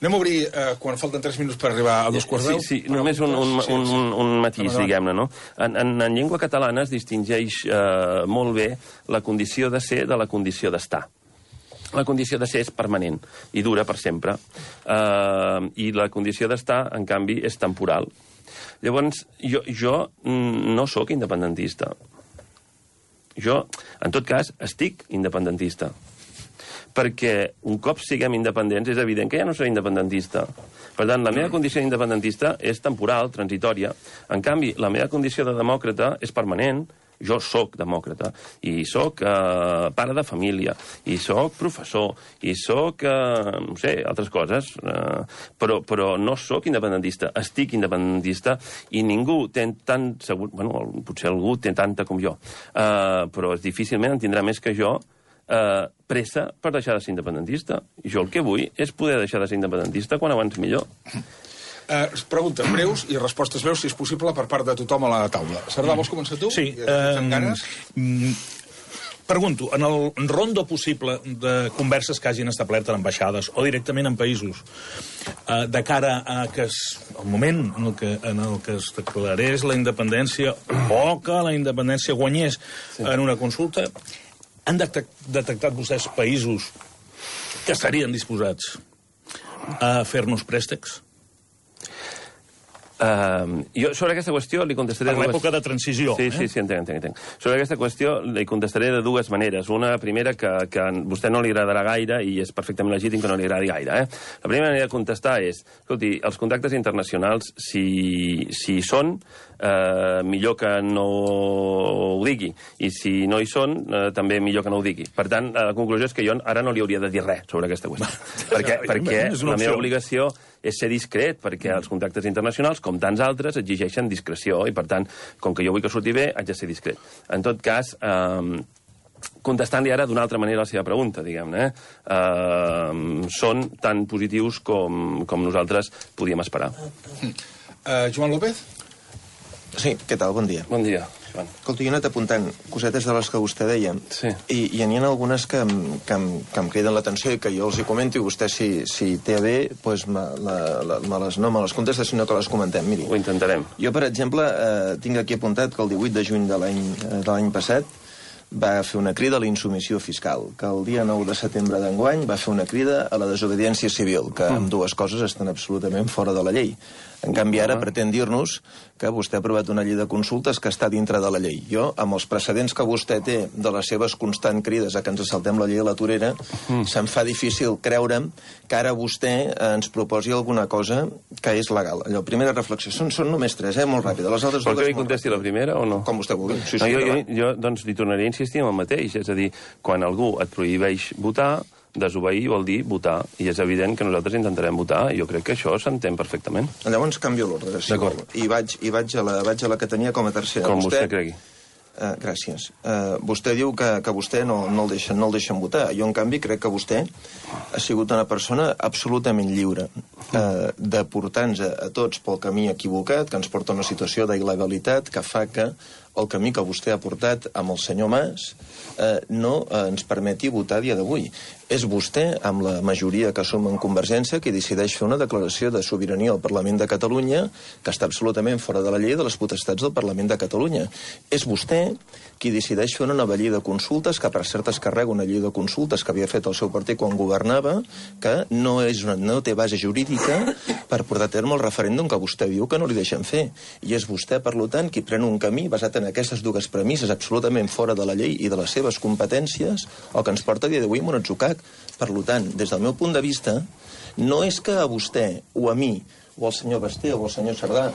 S2: Anem a obrir, quan falten 3 minuts per arribar a 2:15.
S3: Sí, només un matís, diguem-ne, no? En llengua catalana es distingeix molt bé la condició de ser de la condició d'estar. La condició de ser és permanent i dura per sempre. I la condició d'estar, en canvi, és temporal. Llavors, jo no sóc independentista. Jo, en tot cas, estic independentista. Perquè un cop siguem independents és evident que ja no seré independentista. Per tant, la meva condició d'independentista és temporal, transitòria. En canvi, la meva condició de demòcrata és permanent. Jo sóc demòcrata, i sóc pare de família, i sóc professor, i sóc, no sé, altres coses, però no sóc independentista, estic independentista, i ningú té tant segur... Bueno, potser algú té tanta com jo, però difícilment en tindrà més que jo pressa per deixar de ser independentista. I jo el que vull és poder deixar de ser independentista quan abans millor.
S2: Preguntes breus i respostes breus, si és possible, per part de tothom a la taula. Cerdà, vols començar tu?
S7: Sí. Pregunto, en el rondo possible de converses que hagin establert en ambaixades o directament en països, de cara a que el moment en el que es declarés la independència o que la independència guanyés en una consulta, han detectat vostès països que estarien disposats a fer-nos préstecs?
S3: Jo sobre aquesta qüestió li contestaré...
S7: Per l'època de transició.
S3: Sí, entenc. Sobre aquesta qüestió li contestaré de 2 maneres. Una primera que a vostè no li agradarà gaire, i és perfectament legítim que no li agradi gaire. La primera manera de contestar és, escolti, els contactes internacionals, si són, millor que no ho digui. I si no hi són, també millor que no ho digui. Per tant, la conclusió és que jo ara no li hauria de dir res sobre aquesta qüestió. Perquè la meva obligació és ser discret, perquè els contactes internacionals, com tants altres, exigeixen discreció, i per tant, com que jo vull que surti bé, haig de ser discret. En tot cas, contestant-li ara d'una altra manera la seva pregunta, diguem-ne, són tan positius com nosaltres podíem esperar.
S2: Joan López?
S9: Sí, què tal? Bon dia.
S3: Bon dia, Joan.
S9: Escolta, jo he anat apuntant cosetes de les que vostè deia,
S3: sí.
S9: i n'hi ha algunes que em criden l'atenció i que jo els hi comento, i vostè, si té a bé, doncs no me les contesta, sinó que les comentem. Miri,
S3: ho intentarem.
S9: Jo, per exemple, tinc aquí apuntat que el 18 de juny de l'any passat va fer una crida a la insubmissió fiscal, que el dia 9 de setembre d'enguany va fer una crida a la desobediència civil, que amb dues coses estan absolutament fora de la llei. En canvi, ara pretén dir-nos que vostè ha aprovat una llei de consultes que està dintre de la llei. Jo, amb els precedents que vostè té de les seves constants crides a que ens saltem la llei a la torera, se'm fa difícil creure'm que ara vostè ens proposi alguna cosa que és legal. Allò, primera reflexió. Són només tres, molt ràpida. Les altres
S3: vol que li contesti la primera o no?
S9: Com vostè vulgui.
S3: Sí, jo, doncs, li tornaré a insistir en el mateix. És a dir, quan algú et prohibeix votar, desobeir vol dir votar, i és evident que nosaltres intentarem votar, i jo crec que això s'entén perfectament.
S9: Llavors canvio l'ordre, si vol. I vaig a la que tenia com a tercera.
S3: Com vostè cregui.
S9: Gràcies. Vostè diu que vostè no el deixen votar. Jo, en canvi, crec que vostè ha sigut una persona absolutament lliure de portar-nos a tots pel camí equivocat, que ens porta a una situació d'il·legalitat que fa que el camí que vostè ha portat amb el senyor Mas no ens permeti votar a dia d'avui. És vostè, amb la majoria que som en Convergència, qui decideix fer una declaració de sobirania al Parlament de Catalunya que està absolutament fora de la llei de les potestats del Parlament de Catalunya. És vostè qui decideix fer una nova llei de consultes, que per cert es carrega una llei de consultes que havia fet el seu partit quan governava, que no té base jurídica per portar a terme el referèndum que vostè diu que no li deixen fer. I és vostè, per tant, qui pren un camí basat en aquestes dues premisses absolutament fora de la llei i de les seves competències, el que ens porta a dia d'avui en un atzucac. Per tant, des del meu punt de vista, no és que a vostè o a mi o al senyor Basté o al senyor Cerdà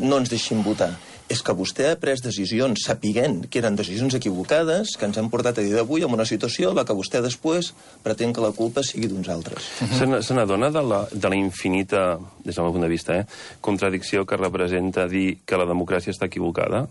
S9: no ens deixin votar, és que vostè ha pres decisions sapiguent que eren decisions equivocades que ens han portat a dia d'avui en una situació en la que vostè després pretén que la culpa sigui d'uns altres.
S3: Se n'adona de la infinita, des del meu punt de vista, contradicció que representa dir que la democràcia està equivocada?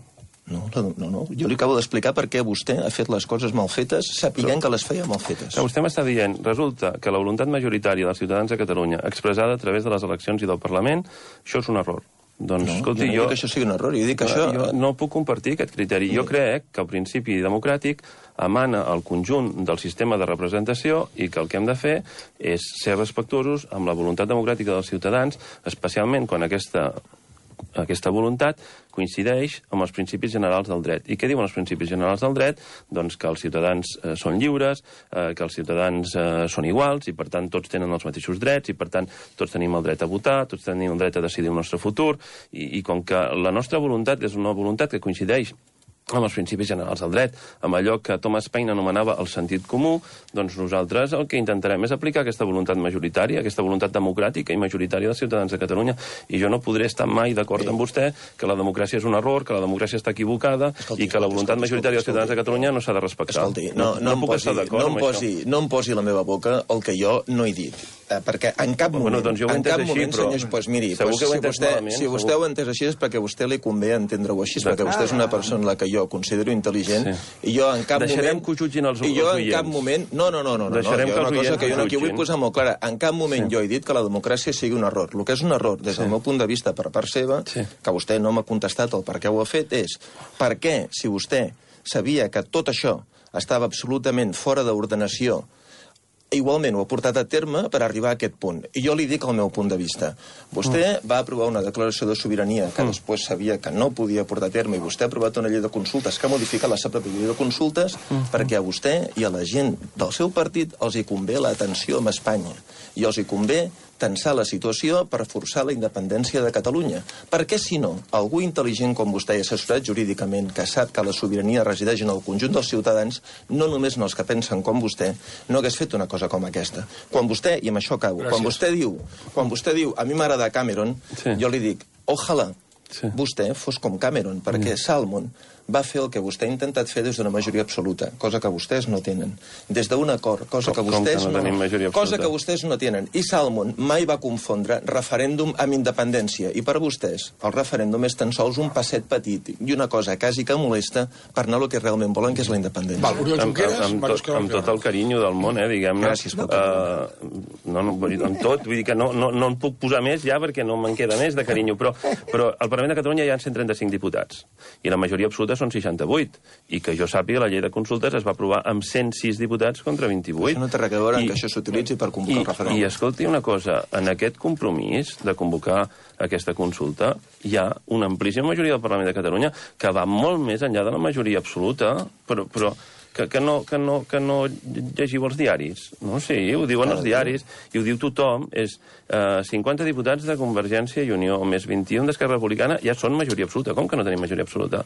S9: No. Jo li acabo d'explicar per què vostè ha fet les coses mal fetes, sapiguent que les feia mal fetes.
S3: Que vostè m'està dient, resulta que la voluntat majoritària dels ciutadans de Catalunya, expressada a través de les eleccions i del Parlament, això és un error. Doncs, escolti,
S9: jo no dic que això sigui un error, jo dic que això...
S3: Jo no puc compartir aquest criteri. Jo crec que el principi democràtic emana al conjunt del sistema de representació i que el que hem de fer és ser respectuosos amb la voluntat democràtica dels ciutadans, especialment quan aquesta voluntat coincideix amb els principis generals del dret. I què diuen els principis generals del dret? Doncs que els ciutadans són lliures, que els ciutadans són iguals i, per tant, tots tenen els mateixos drets i, per tant, tots tenim el dret a votar, tots tenim el dret a decidir el nostre futur i com que la nostra voluntat és una voluntat que coincideix amb els principis generals del dret, amb allò que Thomas Paine anomenava el sentit comú, doncs nosaltres el que intentarem és aplicar aquesta voluntat majoritària, aquesta voluntat democràtica i majoritària dels ciutadans de Catalunya. I jo no podré estar mai d'acord amb vostè que la democràcia és un error, que la democràcia està equivocada i que la voluntat majoritària dels ciutadans de Catalunya no s'ha de respectar.
S9: Escolti, no em posi la meva boca el que jo no he dit. Perquè en cap moment,
S3: doncs jo ho he entès així, però...
S9: Doncs miri, si vostè ho ha entès així és perquè a vostè li convé entendre-ho així, perquè vostè és una persona en la que jo considero intel·ligent, i jo en cap moment...
S3: Deixarem que ho jutgin els oients.
S9: I jo en cap moment... No,
S3: Deixarem que els oients
S9: que jo aquí vull posar molt clara. En cap moment jo he dit que la democràcia sigui un error. El que és un error, des del meu punt de vista per part seva, que vostè no m'ha contestat el per què ho ha fet, és per què, si vostè sabia que tot això estava absolutament fora d'ordenació, igualment ho ha portat a terme per arribar a aquest punt. I jo li dic el meu punt de vista. Vostè va aprovar una declaració de sobirania que després sabia que no podia portar a terme i vostè ha aprovat una llei de consultes que ha modificat la seva pròpia llei de consultes perquè a vostè i a la gent del seu partit els hi convé l'atenció amb Espanya i els hi convé tensar la situació per forçar la independència de Catalunya. Perquè, si no, algú intel·ligent com vostè i assessorat jurídicament que sap que la sobirania resideix en el conjunt dels ciutadans, no només en els que pensen com vostè, no hagués fet una cosa com aquesta. Quan vostè, i amb això acabo, quan vostè diu a mi m'agrada Cameron, jo li dic, ojalà vostè fos com Cameron, perquè Salmon va fer el que vostè ha intentat fer des d'una majoria absoluta, cosa que vostès no tenen. Des d'un acord, cosa que vostès no tenen. I Salmond mai va confondre referèndum amb independència. I per vostès, el referèndum és tan sols un passet petit i una cosa quasi que molesta per anar al que realment volen, que és la independència.
S3: Amb tot el carinyo del món, diguem-ne.
S9: Gràcies,
S3: amb tot, vull dir que no en puc posar més ja perquè no me'n queda més de carinyo, però al Parlament de Catalunya hi ha 135 diputats i la majoria absoluta són 68, i que jo sàpiga la llei de consultes es va aprovar amb 106 diputats contra 28.
S9: Això no té res a veure que això s'utilitzi per convocar el referèndum.
S3: I escolti una cosa, en aquest compromís de convocar aquesta consulta hi ha una amplíssima majoria del Parlament de Catalunya que va molt més enllà de la majoria absoluta, però que no llegiu els diaris. No, sí, ho diuen els diaris, i ho diu tothom, és 50 diputats de Convergència i Unió, més 21 d'Esquerra Republicana, ja són majoria absoluta. Com que no tenim majoria absoluta?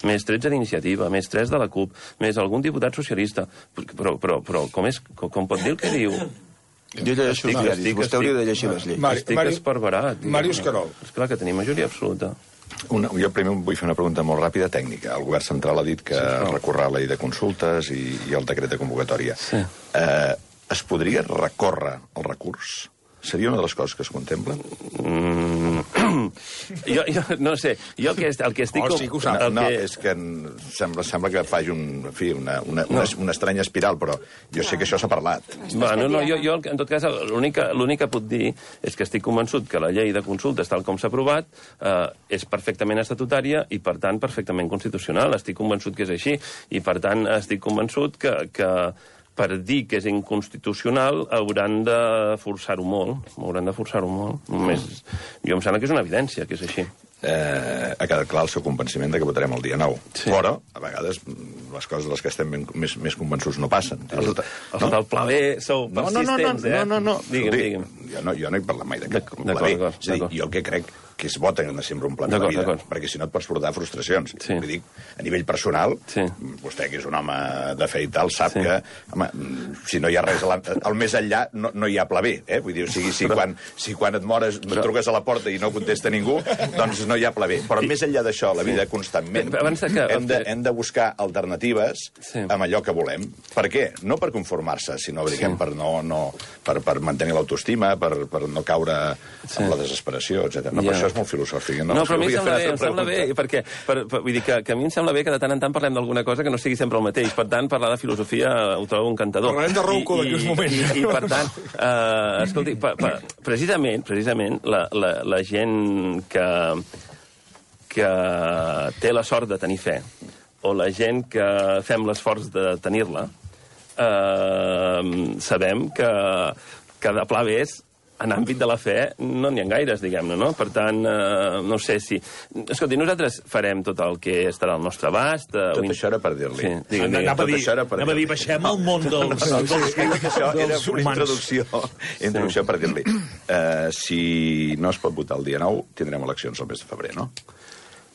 S3: Més 13 d'Iniciativa, més 3 de la CUP, més algun diputat socialista. Però com pot dir el que diu?
S9: Jo llegeixo els diaris, vostè hauria de llegir les lleis.
S3: Estic esparverat.
S2: Màrius Querol.
S3: Esclar que tenim majoria absoluta.
S6: Jo primer vull fer una pregunta molt ràpida tècnica. El govern central ha dit que recorrerà la llei de consultes i el decret de convocatòria.
S3: Sí.
S6: Es podria recórrer el recurs? Seria una de les coses que es contemplen?
S3: Jo no sé. Jo el que estic...
S2: sí que ho sap.
S6: No, és que sembla que faci una estranya espiral, però jo sé que això s'ha parlat.
S3: Jo, en tot cas, l'únic que puc dir és que estic convençut que la llei de consultes, tal com s'ha aprovat, és perfectament estatutària i, per tant, perfectament constitucional. Estic convençut que és així i, per tant, estic convençut que per dir que és inconstitucional hauran de forçar-ho molt. Hauran de forçar-ho molt. Jo em sembla que és una evidència que és així.
S6: Ha quedat clar el seu convenciment de que votarem el dia 9. Sí. Però, a vegades, les coses de les que estem més convençuts no passen.
S3: Els del Pla B sou persistents,
S6: No.
S3: Digue'm.
S6: Jo no he parlat mai d'aquest Pla B. És a dir, jo el que crec que es vota en sempre un pla de la vida, perquè si no et pots portar frustracions. Vull dir, a nivell personal, vostè que és un home de fe i tal, sap que, home, si no hi ha res al més enllà, no hi ha Pla B. Vull dir, si quan et mores truques a la porta i no contesta ningú, doncs no hi ha Pla B. Però més enllà d'això, la vida constantment, hem de buscar alternatives amb allò que volem. Per què? No per conformar-se, sinó per mantenir l'autoestima, per no caure en la desesperació, etc. No, per això és molt filosòfic.
S3: No, però a mi em sembla bé, perquè vull dir que a mi em sembla bé que de tant en tant parlem d'alguna cosa que no sigui sempre el mateix. Per tant, parlar de filosofia ho trobo encantador.
S2: Parlarem de Rouco d'aquí uns moments.
S3: I per tant, escolti, precisament la gent que té la sort de tenir fe, o la gent que fem l'esforç de tenir-la, sabem que de pla B en àmbit de la fe no n'hi ha gaires, diguem-ne, no? Per tant, no sé si... Escolti, nosaltres farem tot el que estarà al nostre abast...
S6: Tot això era per dir-li.
S7: Anava a dir, baixem al món dels
S6: Això era una introducció per dir-li. Si no es pot votar el dia 9, tindrem eleccions el mes de febrer, no?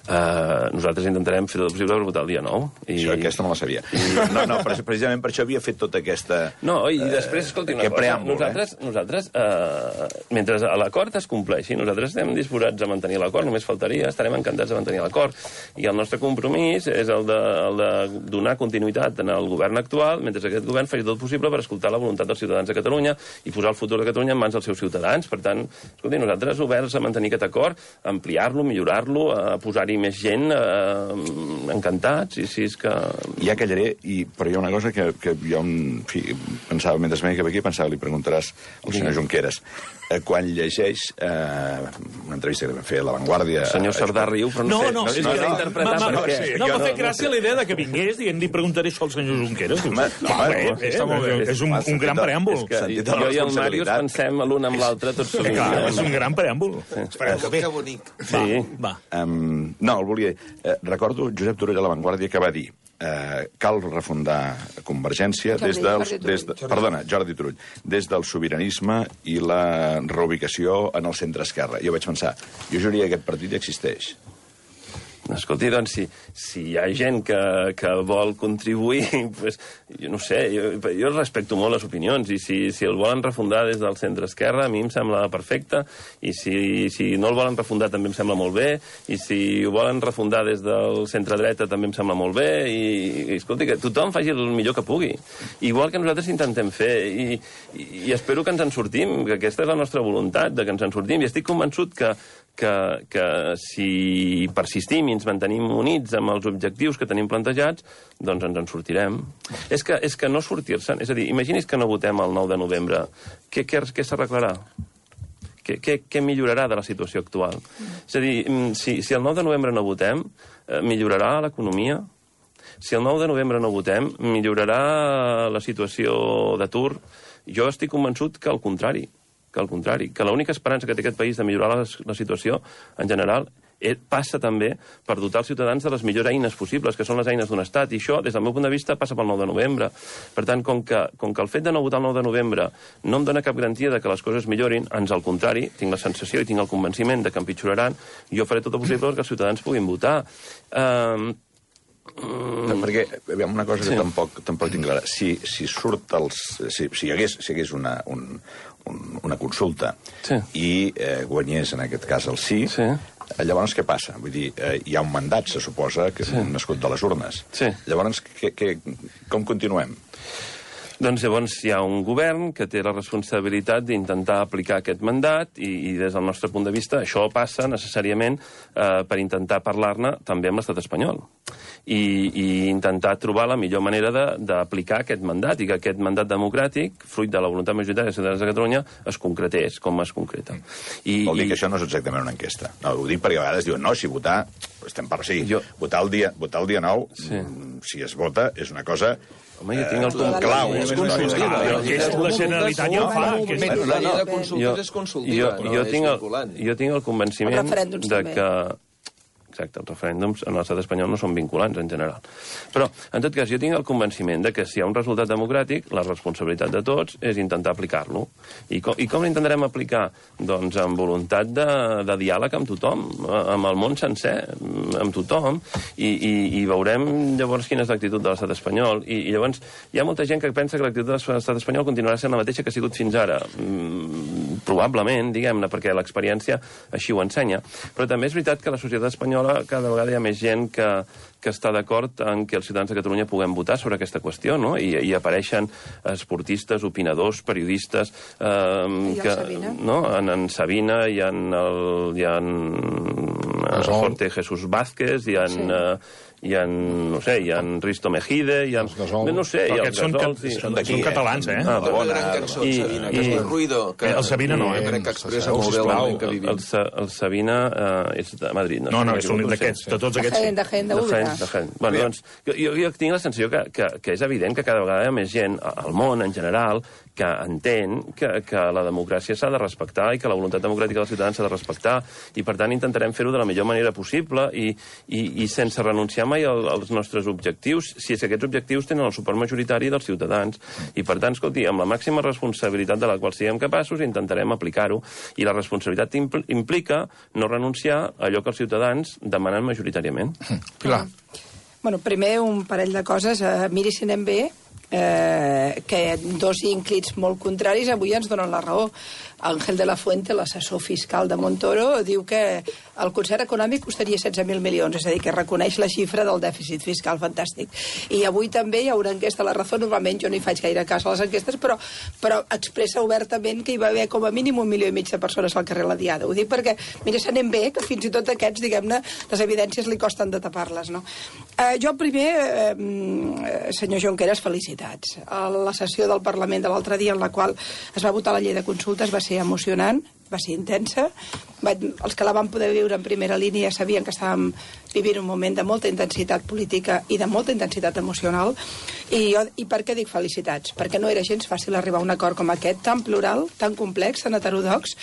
S3: Nosaltres intentarem fer tot el possible per votar el dia 9.
S6: Això, aquesta no la sabia. No, precisament per això havia fet tota aquesta...
S3: No, i després, escolti, una cosa. Nosaltres, mentre l'acord es compleixi, nosaltres estem disposats a mantenir l'acord, només faltaria, estarem encantats de mantenir l'acord. I el nostre compromís és el de donar continuïtat en el govern actual, mentre aquest govern faci tot possible per escoltar la voluntat dels ciutadans de Catalunya i posar el futur de Catalunya en mans dels seus ciutadans. Per tant, escolti, nosaltres oberts a mantenir aquest acord, ampliar-lo, millorar-lo, a posar-hi més gent, encantats, i si és que...
S6: Ja callaré, però hi ha una cosa que jo pensava, mentre m'he aquí, pensava, li preguntaràs al senyor Junqueras. Quan llegeix una entrevista que vam fer a La Vanguardia...
S3: El senyor Sardà riu, però no sé. No, és que l'he interpretat per què.
S7: No, m'ha fet gràcia la idea que vingués i li preguntaré això al senyor Junqueras. És un gran preàmbul.
S3: Jo i el Màrius pensem l'un amb l'altre tot sovint.
S7: És un gran preàmbul.
S9: Que bonic.
S3: Va.
S6: No, el volia dir. Recordo Josep Turull a La Vanguardia que va dir cal refundar Convergència Jordi Turull, des del sobiranisme i la reubicació en el centre-esquerra. Jo vaig pensar, jo juraria que aquest partit ja existeix.
S3: Escolti, doncs, si hi ha gent que vol contribuir, pues, jo no sé, jo respecto molt les opinions, i si el volen refundar des del centre-esquerra, a mi em sembla perfecte, i si no el volen refundar també em sembla molt bé, i si ho volen refundar des del centre-dreta també em sembla molt bé, i escolti, que tothom faci el millor que pugui. Igual que nosaltres intentem fer, i espero que ens en sortim, que aquesta és la nostra voluntat, de que ens en sortim, i estic convençut que si persistim i ens mantenim units amb els objectius que tenim plantejats, doncs ens en sortirem. És que no sortir-se'n... És a dir, imagini's que no votem el 9 de novembre. Què s'arreglarà? Què millorarà de la situació actual? És a dir, si el 9 de novembre no votem, millorarà l'economia? Si el 9 de novembre no votem, millorarà la situació d'atur? Jo estic convençut que al contrari, que l'única esperança que té aquest país de millorar la situació, en general, passa també per dotar els ciutadans de les millors eines possibles, que són les eines d'un estat, i això, des del meu punt de vista, passa pel 9 de novembre. Per tant, com que el fet de no votar el 9 de novembre no em dona cap garantia de que les coses millorin, ans al contrari, tinc la sensació i tinc el convenciment de que empitjoraran, jo faré tot el possible perquè els ciutadans puguin votar.
S6: Perquè, una cosa que tampoc tinc clara, si hi hagués una consulta i guanyés, en aquest cas, el sí, llavors què passa? Vull dir, hi ha un mandat, se suposa, que és nascut de les urnes. Llavors, com continuem?
S3: Doncs llavors hi ha un govern que té la responsabilitat d'intentar aplicar aquest mandat i des del nostre punt de vista això passa necessàriament per intentar parlar-ne també amb l'estat espanyol i intentar trobar la millor manera d'aplicar aquest mandat i que aquest mandat democràtic, fruit de la voluntat majoritària dels ciutadans de Catalunya, es concretés com es concreta.
S6: Vol dir que això no és exactament una enquesta. No, ho dic perquè a vegades diuen, no, si votar... Votar el dia 9, si es vota, és una cosa...
S3: Home, jo tinc el
S6: clau.
S7: La Generalitat ja ho fa.
S9: La llei de consultes és consultiva, però és vinculant.
S3: Jo tinc el convenciment de que... Exacte, els referèndums en l'estat espanyol no són vinculants, en general. Però, en tot cas, jo tinc el convenciment de que si hi ha un resultat democràtic, la responsabilitat de tots és intentar aplicar-lo. I com l'intentarem aplicar? Doncs amb voluntat de diàleg amb tothom, amb el món sencer, amb tothom, i veurem llavors quina és l'actitud de l'estat espanyol. I llavors hi ha molta gent que pensa que l'actitud de l'estat espanyol continuarà sent la mateixa que ha sigut fins ara. Probablement, diguem-ne, perquè l'experiència així ho ensenya. Però també és veritat que la societat espanyola cada vegada hi ha més gent que està d'acord en que els ciutadans de Catalunya puguem votar sobre aquesta qüestió, no? I apareixen esportistes, opinadors, periodistes...
S8: I el Sabina?
S3: No? En Sabina, hi ha Jorge Jesús Vázquez, hi ha no sé, hi ha Risto Mejide, hi ha... No sé, hi ha els Gasols...
S7: Són catalans, eh?
S9: Una gran cançó, el Sabina, que és el Ruido.
S7: El Sabina no,
S9: crec que expressa molt bé el moment que vivim.
S3: El Sabina és de Madrid, no?
S7: No, són d'aquests, de tots aquests.
S8: De Jaén, de Úbeda.
S3: Bueno, doncs, jo tinc la sensació que és evident que cada vegada hi ha més gent al món, en general, que entén que la democràcia s'ha de respectar i que la voluntat democràtica dels ciutadans s'ha de respectar, i per tant intentarem fer-ho de la millor manera possible i sense renunciar mai als nostres objectius, si és que aquests objectius tenen el suport majoritari dels ciutadans. I per tant, escolti, amb la màxima responsabilitat de la qual siguem capaços, intentarem aplicar-ho. I la responsabilitat implica no renunciar a allò que els ciutadans demanen majoritàriament.
S2: Pilar.
S8: Bueno, primer un parell de coses. Miri si anem bé, que dos ínclits molt contraris avui ens donen la raó. Ángel de la Fuente, l'assessor fiscal de Montoro, diu que el concert econòmic costaria 16.000 milions, és a dir, que reconeix la xifra del dèficit fiscal fantàstic. I avui també hi ha una enquesta a La Razón, normalment jo no hi faig gaire cas a les enquestes, però expressa obertament que hi va haver com a mínim 1,5 milió de persones al carrer la Diada. Ho dic perquè, mira, se n'anem bé, que fins i tot aquests, diguem-ne, les evidències li costen de tapar-les, no? Jo primer, senyor Junqueras, felicitats. La sessió del Parlament de l'altre dia en la qual es va votar la llei de consultes va ser emocionant, va ser intensa. Els que la van poder viure en primera línia sabien que estàvem vivint un moment de molta intensitat política i de molta intensitat emocional. I per què dic felicitats? Perquè no era gens fàcil arribar a un acord com aquest, tan plural, tan complex, tan heterodox,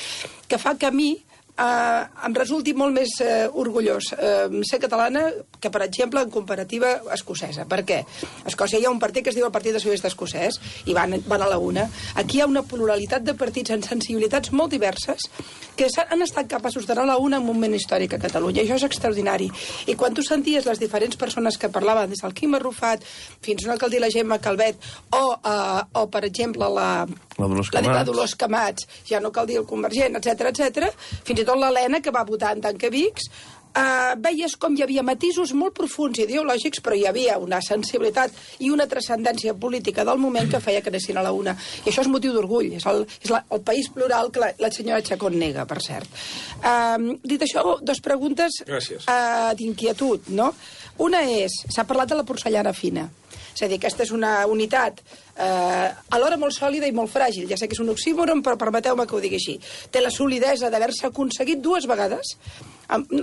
S8: que fa que a mi em resulti molt més orgullós ser catalana que, per exemple, en comparativa escocesa. Per què? A Escòcia hi ha un partit que es diu el Partit Socialista Escocès i van a la una. Aquí hi ha una pluralitat de partits amb sensibilitats molt diverses que han estat capaços d'anar a la una en un moment històric a Catalunya. Això és extraordinari. I quan tu senties les diferents persones que parlaven, des del Quim Arrufat fins a una que el la Gemma Calvet o per exemple, la Dolors Camats, ja no cal dir el Convergent, etc, fins i tot l'Helena, que va votar en Tancavics, veies com hi havia matisos molt profuns ideològics, però hi havia una sensibilitat i una transcendència política del moment que feia que anessin a la una. I això és motiu d'orgull. És el país plural que la senyora Chacón nega, per cert. Dit això, dos preguntes d'inquietud, no? Una és, s'ha parlat de la porcellana fina. És a dir, aquesta és una unitat alhora molt sòlida i molt fràgil. Ja sé que és un oxímoron, però permeteu-me que ho digui així. Té la solidesa d'haver-se aconseguit dues vegades,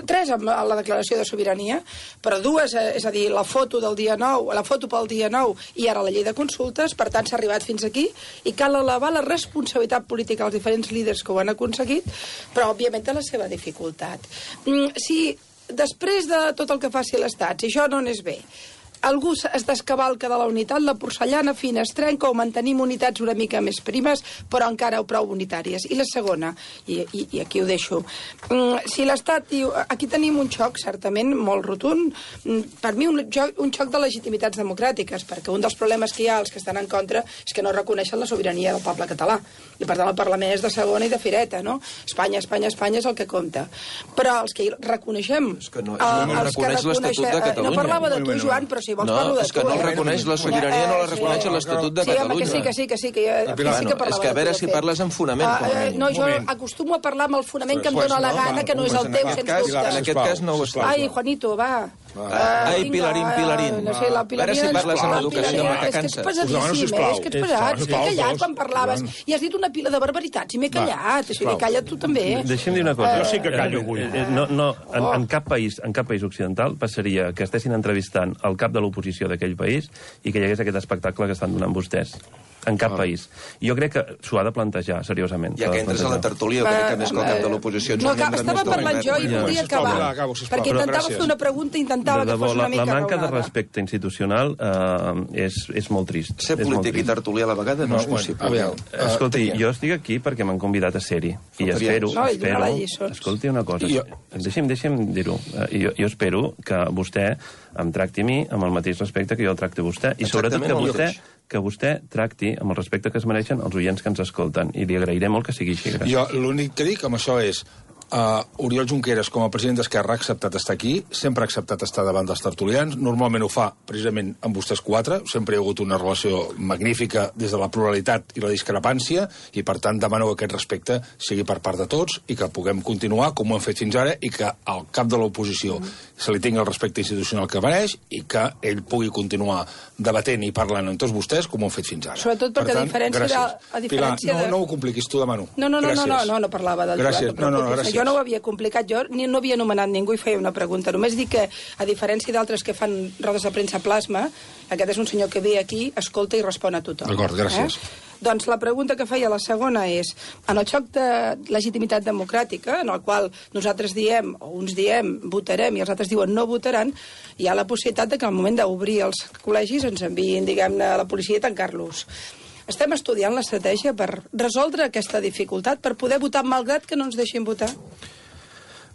S8: tres amb la declaració de sobirania, però dues, és a dir, la foto del dia 9, la foto pel dia 9 i ara la llei de consultes, per tant s'ha arribat fins aquí i cal elevar la responsabilitat política als diferents líders que ho han aconseguit, però òbviament té la seva dificultat. Si després de tot el que faci l'Estat, si això no anés bé, algú es descavalca de la unitat, la porcellana fina es trenca o mantenim unitats una mica més primes, però encara prou unitàries. I la segona, i aquí ho deixo, si l'Estat diu... Aquí tenim un xoc, certament, molt rotund, per mi un xoc de legitimitats democràtiques, perquè un dels problemes que hi ha, els que estan en contra, és que no reconeixen la sobirania del poble català. I per tant el Parlament és de segona i de fireta, no? Espanya, Espanya, Espanya és el que compta. Però els que reconeixem...
S9: És que no reconeix l'Estatut de Catalunya.
S8: No parlava de tu, Joan, però si vols parlo de tu.
S9: No, és que no reconeix la sobirania, no la reconeix l'Estatut de Catalunya.
S8: Sí, que sí que parlava de tu.
S9: És que a veure si parles amb fonament.
S8: No, jo acostumo a parlar amb el fonament que em dóna la gana, que no és el teu, sens dubte.
S9: En aquest cas no ho és.
S8: Ai, Juanito, va.
S9: Ai, Pilarín.
S8: No sé, la Pilarín...
S9: A veure si parles amb educació, que
S8: és que ets pesadíssim, és que ets pesat. M'he callat quan parlaves i has dit una pila de barbaritats i m'he callat. O sigui, calla't tu també.
S3: Deixa'm dir una cosa.
S7: Jo sí que callo avui.
S3: En cap país occidental passaria que estessin entrevistant el cap de l'oposició d'aquell país i que hi hagués aquest espectacle que estan donant vostès. En cap país. I jo crec que s'ho ha de plantejar seriosament.
S9: Ja que entres a la tertúlia, crec que més que el cap de l'oposició...
S8: No, estava parlant jo i volia acabar. Perquè intentava fer una pregunta i intentava que fos una mica raonada.
S3: La manca de respecte institucional és molt trist.
S9: Ser polític i tertúlia a la vegada no és possible.
S3: Escolti, jo estic aquí perquè m'han convidat a ser-hi. I espero... Escolti una cosa. Deixi'm dir-ho. Jo espero que vostè em tracti a mi amb el mateix respecte que jo el tracto a vostè. I sobretot que vostè tracti amb el respecte que es mereixen els oients que ens escolten. I li agrairé molt que sigui així.
S2: Jo l'únic que dic amb això és Oriol Junqueras, com a president d'Esquerra, ha acceptat estar aquí, sempre ha acceptat estar davant dels tertulians, normalment ho fa precisament amb vostès quatre, sempre hi ha hagut una relació magnífica des de la pluralitat i la discrepància, i per tant demano que aquest respecte sigui per part de tots i que puguem continuar com ho hem fet fins ara i que al cap de l'oposició se li tingui el respecte institucional que mereix i que ell pugui continuar debatent i parlant amb tots vostès com ho hem fet fins ara.
S8: Sobretot perquè a diferència
S2: Pilar, no ho compliquis, t'ho demano.
S8: No parlava del
S2: gràcies.
S8: Gràcies. Jo no ho havia complicat, jo no havia anomenat ningú i feia una pregunta. Només dic que, a diferència d'altres que fan rodes de premsa plasma, aquest és un senyor que ve aquí, escolta i respon a tothom.
S2: D'acord, gràcies.
S8: Doncs la pregunta que feia la segona és, en el xoc de legitimitat democràtica, en el qual nosaltres diem, o uns diem, votarem, i els altres diuen no votaran, hi ha la possibilitat de que al moment d'obrir els col·legis ens enviïn, diguem-ne, a la policia i tancar-los. Estem estudiant l'estratègia per resoldre aquesta dificultat, per poder votar malgrat que no ens deixin votar?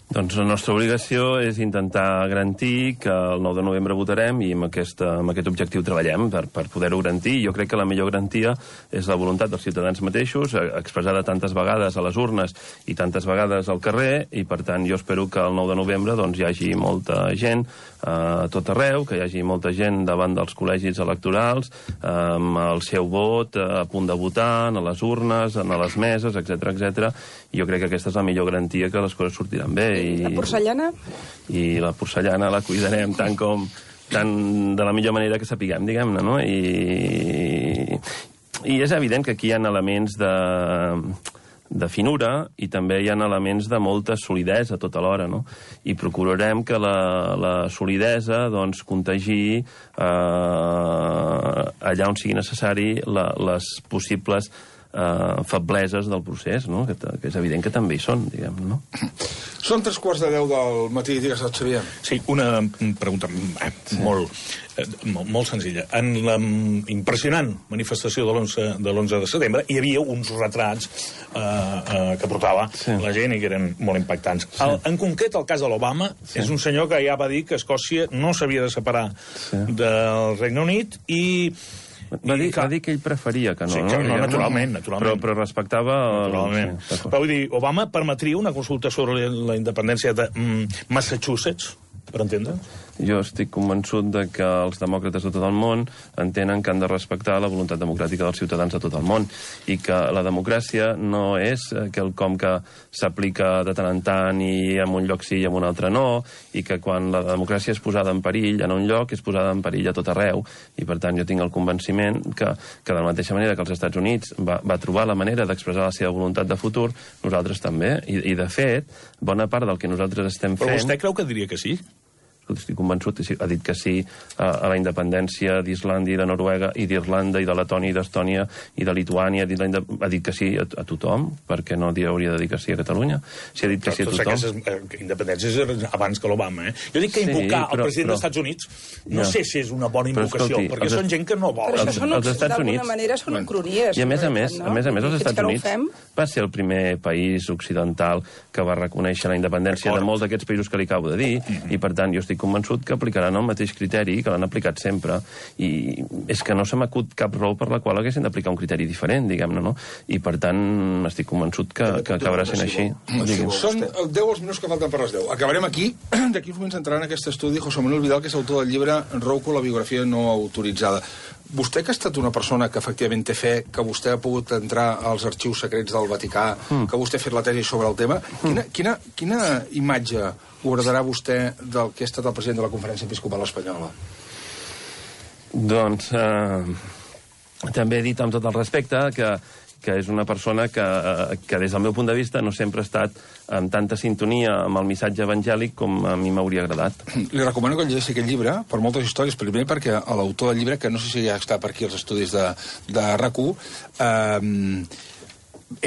S3: Doncs la nostra obligació és intentar garantir que el 9 de novembre votarem i amb aquest objectiu treballem per poder-ho garantir. Jo crec que la millor garantia és la voluntat dels ciutadans mateixos, expressada tantes vegades a les urnes i tantes vegades al carrer, i per tant jo espero que el 9 de novembre doncs, hi hagi molta gent a tot arreu, que hi hagi molta gent davant dels col·legis electorals, amb el seu vot a punt de votar, a les urnes, a les meses, etc. I jo crec que aquesta és la millor garantia que les coses sortiran bé.
S8: La porcellana?
S3: I la porcellana la cuidarem tant de la millor manera que sapiguem, diguem-ne, no? I és evident que aquí hi ha elements de finura i també hi ha elements de molta solidesa tota l'hora, no? I procurarem que la solidesa doncs, contagi allà on sigui necessari les possibles febleses del procés, no? Que és evident que també hi són, diguem, no?
S2: Són 3:15 del matí, digues, Xavier.
S7: Sí, una pregunta molt senzilla. En la impressionant manifestació de l'11 de setembre hi havia uns retrats que portava la gent i que eren molt impactants. En concret, el cas de l'Obama és un senyor que ja va dir que Escòcia no s'havia de separar del Regne Unit i...
S3: Va dir que ell preferia que no.
S7: Sí, no, naturalment.
S3: Però respectava...
S7: Naturalment. Però vull dir, Obama permetria una consulta sobre la independència de Massachusetts, per entendre'ns?
S3: Jo estic convençut de que els demòcrates de tot el món entenen que han de respectar la voluntat democràtica dels ciutadans de tot el món i que la democràcia no és quelcom que s'aplica de tant en tant i en un lloc sí i en un altre no, i que quan la democràcia és posada en perill en un lloc és posada en perill a tot arreu, i per tant jo tinc el convenciment que de la mateixa manera que els Estats Units va trobar la manera d'expressar la seva voluntat de futur, nosaltres també, i de fet bona part del que nosaltres estem fent...
S7: Però vostè creu que diria que sí?
S3: Estic convençut, ha dit que sí a la independència d'Islàndia i de Noruega i d'Irlanda i de Letònia i d'Estònia i de Lituània, ha dit que sí a tothom, perquè no hauria de dir que sí a Catalunya? Si ha dit que sí a tothom...
S7: Aquestes independències abans que l'Obama, Jo dic que invocar el president dels Estats Units no sé si és una bona invocació, perquè són gent que no vol.
S8: Però això d'alguna manera són ucronies.
S3: I a més a més, els Estats Units va ser el primer país occidental que va reconèixer la independència de molts d'aquests països que li acabo de dir, i per tant jo estic convençut que aplicaran el mateix criteri que l'han aplicat sempre, i és que no se m'acut cap raó per la qual haguessin d'aplicar un criteri diferent, diguem-ne, no? I per tant estic convençut que acabarà sent així.
S2: Són 10 els minuts que falten per les 10. Acabarem aquí. D'aquí uns moments entrarà en aquest estudi José Manuel Vidal, que és autor del llibre Rouco, la biografia no autoritzada. Vostè, que ha estat una persona que efectivament té fe, que vostè ha pogut entrar als arxius secrets del Vaticà, que vostè ha fet la tesi sobre el tema, quina imatge guardarà vostè del que ha estat el president de la Conferència Episcopal Espanyola?
S3: Doncs també he dit amb tot el respecte que és una persona que des del meu punt de vista no sempre ha estat amb tanta sintonia amb el missatge evangèlic com a mi m'hauria agradat.
S2: Li recomano que llegeixi aquest llibre per moltes històries. Primer perquè l'autor del llibre, que no sé si ja està per aquí als estudis de RAC1,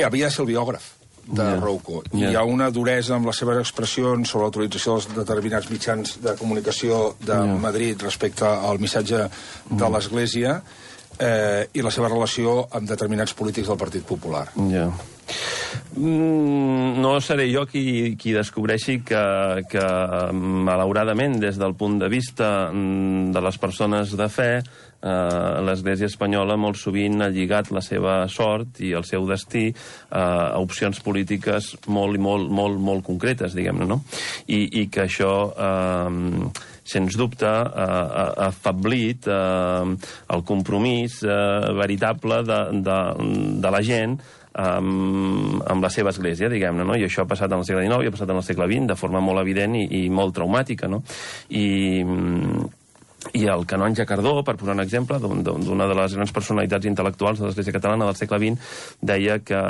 S2: havia de ser el biògraf de Rouco. I hi ha una duresa amb les seves expressions sobre l'autorització dels determinats mitjans de comunicació de Madrid respecte al missatge de l'Església i la seva relació amb determinats polítics del Partit Popular.
S3: No seré jo qui descobreixi que malauradament, des del punt de vista de les persones de fe, l'Església espanyola molt sovint ha lligat la seva sort i el seu destí a opcions polítiques molt concretes, diguem-ne, no? I que això sens dubte, ha afeblit el compromís veritable de la gent amb la seva església, diguem-ne, no? I això ha passat en el segle XIX i ha passat en el segle XX de forma molt evident i molt traumàtica, no? I el canonge Cardó, per posar un exemple, d'una de les grans personalitats intel·lectuals de l'Església catalana del segle XX, deia que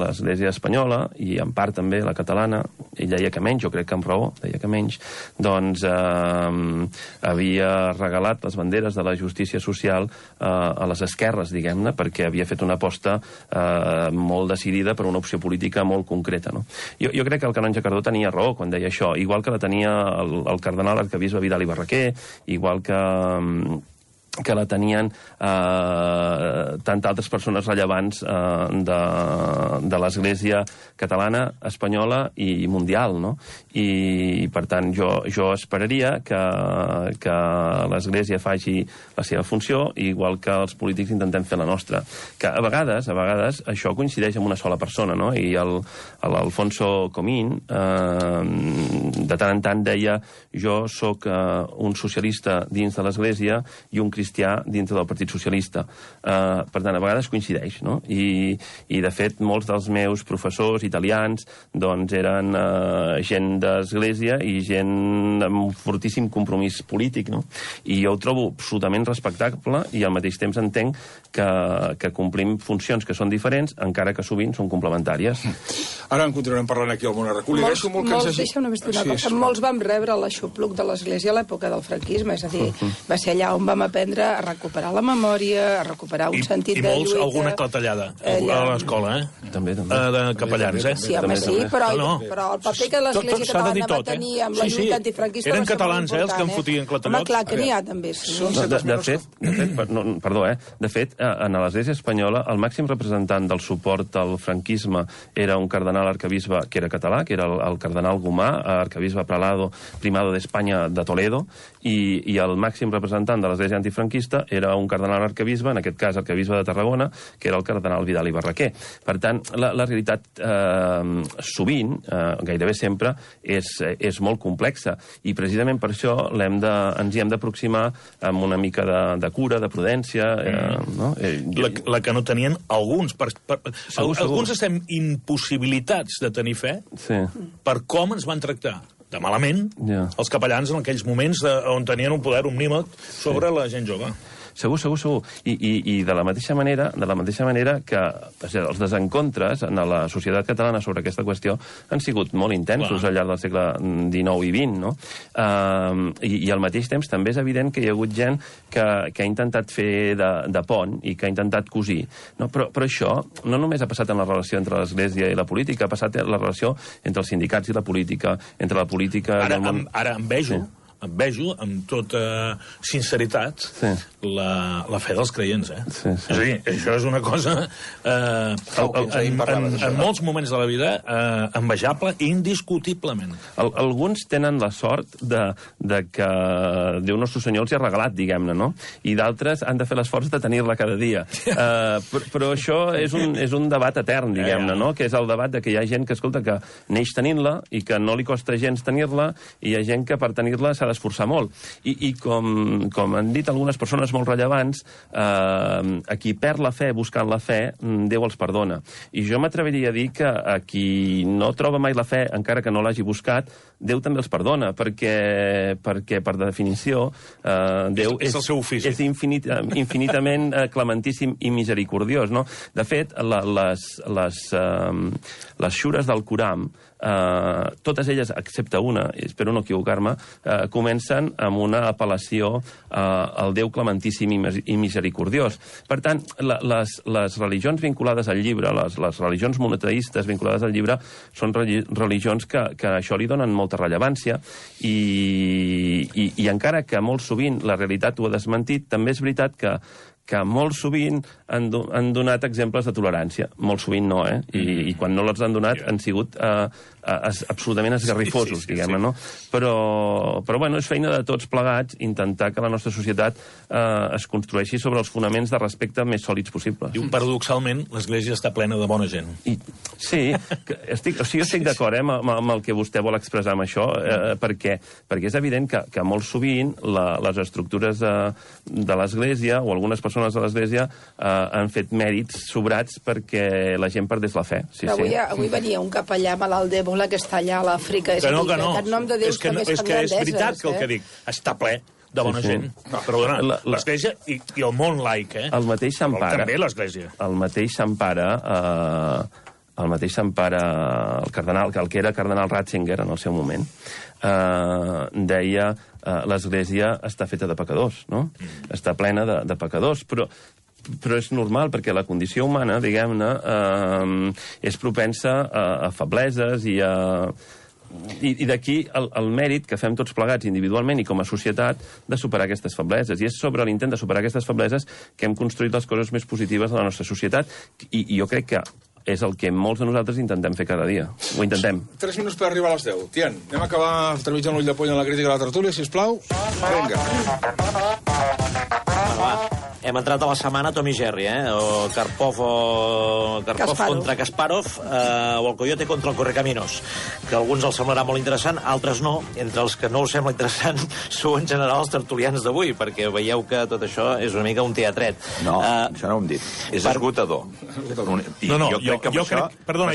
S3: l'Església espanyola, i en part també la catalana, ell deia que menys, jo crec que amb raó, deia que menys, doncs havia regalat les banderes de la justícia social a les esquerres, diguem-ne, perquè havia fet una aposta molt decidida per una opció política molt concreta, no? Jo crec que el canonge Cardó tenia raó quan deia això, igual que la tenia el cardenal arquebisbe Vidal i Barraquer, igual que la tenien tantes altres persones rellevants de l'Església catalana, espanyola i mundial, no? I, per tant, jo esperaria que l'Església faci la seva funció, igual que els polítics intentem fer la nostra. Que a vegades això coincideix amb una sola persona, no? I l'Alfonso Comín de tant en tant deia jo sóc un socialista dins de l'Església i un cristià dintre del Partit Socialista. Per tant, a vegades coincideix, no? I de fet, molts dels meus professors italians doncs eren gent d'església i gent amb un fortíssim compromís polític, no? I jo ho trobo absolutament respectable i al mateix temps entenc que complim funcions que són diferents, encara que sovint són complementàries.
S2: Ara en continuarem parlant aquí al Món Arracú.
S8: Molts vam rebre l'aixopluc de l'Església a l'època del franquisme, és a dir, va ser allà on vam aprendre aprendre a recuperar la memòria, a recuperar un sentit de lluita.
S7: I molts, alguna clatellada a l'escola,
S3: També.
S7: De capellans,
S8: Sí, home, sí, però el paper que l'Església Catalana va tenir amb la lluita antifranquista va ser molt important.
S7: Eren catalans, els que en fotien clatellots.
S8: Home, clar que n'hi ha, també, sí.
S3: De fet, en l'Església espanyola, el màxim representant del suport al franquisme era un cardenal arcabisbe que era català, que era el cardenal Gomà, arcabisbe prelado primado d'Espanya de Toledo, i el màxim representant de l'Església antifranquista era un cardenal arcabisbe, en aquest cas arcabisbe de Tarragona, que era el cardenal Vidal i Barraquer. Per tant, la realitat sovint, gairebé sempre, és molt complexa, i precisament per això ens hi hem d'aproximar amb una mica de cura, de prudència.
S7: La que no tenien alguns. Alguns estem impossibilitats de tenir fe per com ens van tractar de malament els capellans en aquells moments on tenien un poder omnímot sobre la gent jove.
S3: Segur. I de la mateixa manera que els desencontres en la societat catalana sobre aquesta qüestió han sigut molt intensos al llarg del segle XIX i XX, no? I al mateix temps també és evident que hi ha hagut gent que ha intentat fer de pont i que ha intentat cosir. Però això no només ha passat en la relació entre l'Església i la política, ha passat en la relació entre els sindicats i la política, entre la política i el món...
S7: Ara em vejo amb tota sinceritat la fe dels creients, És a dir, això és una cosa en molts moments de la vida envejable indiscutiblement.
S3: Alguns tenen la sort de que Déu Nostre Senyor els hi ha regalat, diguem-ne, no? I d'altres han de fer l'esforç de tenir-la cada dia. Però això és un debat etern, diguem-ne, no? Que és el debat de que hi ha gent que, escolta, que neix tenint-la i que no li costa gens tenir-la, i hi ha gent que per tenir-la s'ha d'esforçar molt. I com han dit algunes persones molt rellevants, a qui perd la fe buscant la fe, Déu els perdona. I jo m'atreviria a dir que a qui no troba mai la fe, encara que no l'hagi buscat, Déu també els perdona, perquè per definició, Déu és infinitament clementíssim i misericordiós, no? De fet, les xures del Coram, totes elles, excepte una, espero no equivocar-me, comencen amb una apel·lació al Déu clementíssim i misericordiós. Per tant, les religions vinculades al llibre, les religions monoteistes vinculades al llibre, són religions que això li donen molta rellevància, i encara que molt sovint la realitat ho ha desmentit, també és veritat que molt sovint han donat exemples de tolerància. Molt sovint no, I quan no els han donat han sigut absolutament esgarrifosos, diguem-ne, no? Però, bueno, és feina de tots plegats intentar que la nostra societat es construeixi sobre els fonaments de respecte més sòlids possibles.
S7: I paradoxalment, l'Església està plena de bona gent.
S3: Sí, jo estic d'acord amb el que vostè vol expressar amb això, perquè és evident que molt sovint les estructures de l'Església o algunes persones de l'Església han fet mèrits sobrats perquè la gent perdés la fe.
S8: Avui venia un capellà malalt d'Ebola que està allà a l'Àfrica.
S7: Que no. És que és veritat que el que dic està ple de bona gent. Perdona, l'Església i el món laic,
S3: El mateix s'empara.
S7: També l'Església.
S3: El mateix s'empara el cardenal, el que era cardenal Ratzinger en el seu moment, deia l'Església està feta de pecadors, no? Està plena de pecadors, però és normal, perquè la condició humana, diguem-ne, és propensa a febleses i d'aquí el mèrit que fem tots plegats individualment i com a societat de superar aquestes febleses. I és sobre l'intent de superar aquestes febleses que hem construït les coses més positives de la nostra societat, i jo crec que és el que molts de nosaltres intentem fer cada dia. Ho intentem.
S2: 3 minuts per arribar a les 10. Tian, anem a acabar trepitjant l'ull de poll en la crítica de la tertúlia, sisplau. Vinga.
S10: Hem entrat a la setmana Tom i Jerry, o Karpov contra Kasparov, o el Coyote contra el Correcaminos, que a alguns els semblarà molt interessant, altres no. Entre els que no us sembla interessant sou en general els tertulians d'avui, perquè veieu que tot això és una mica un teatret.
S6: No, això no ho hem dit. És esgotador.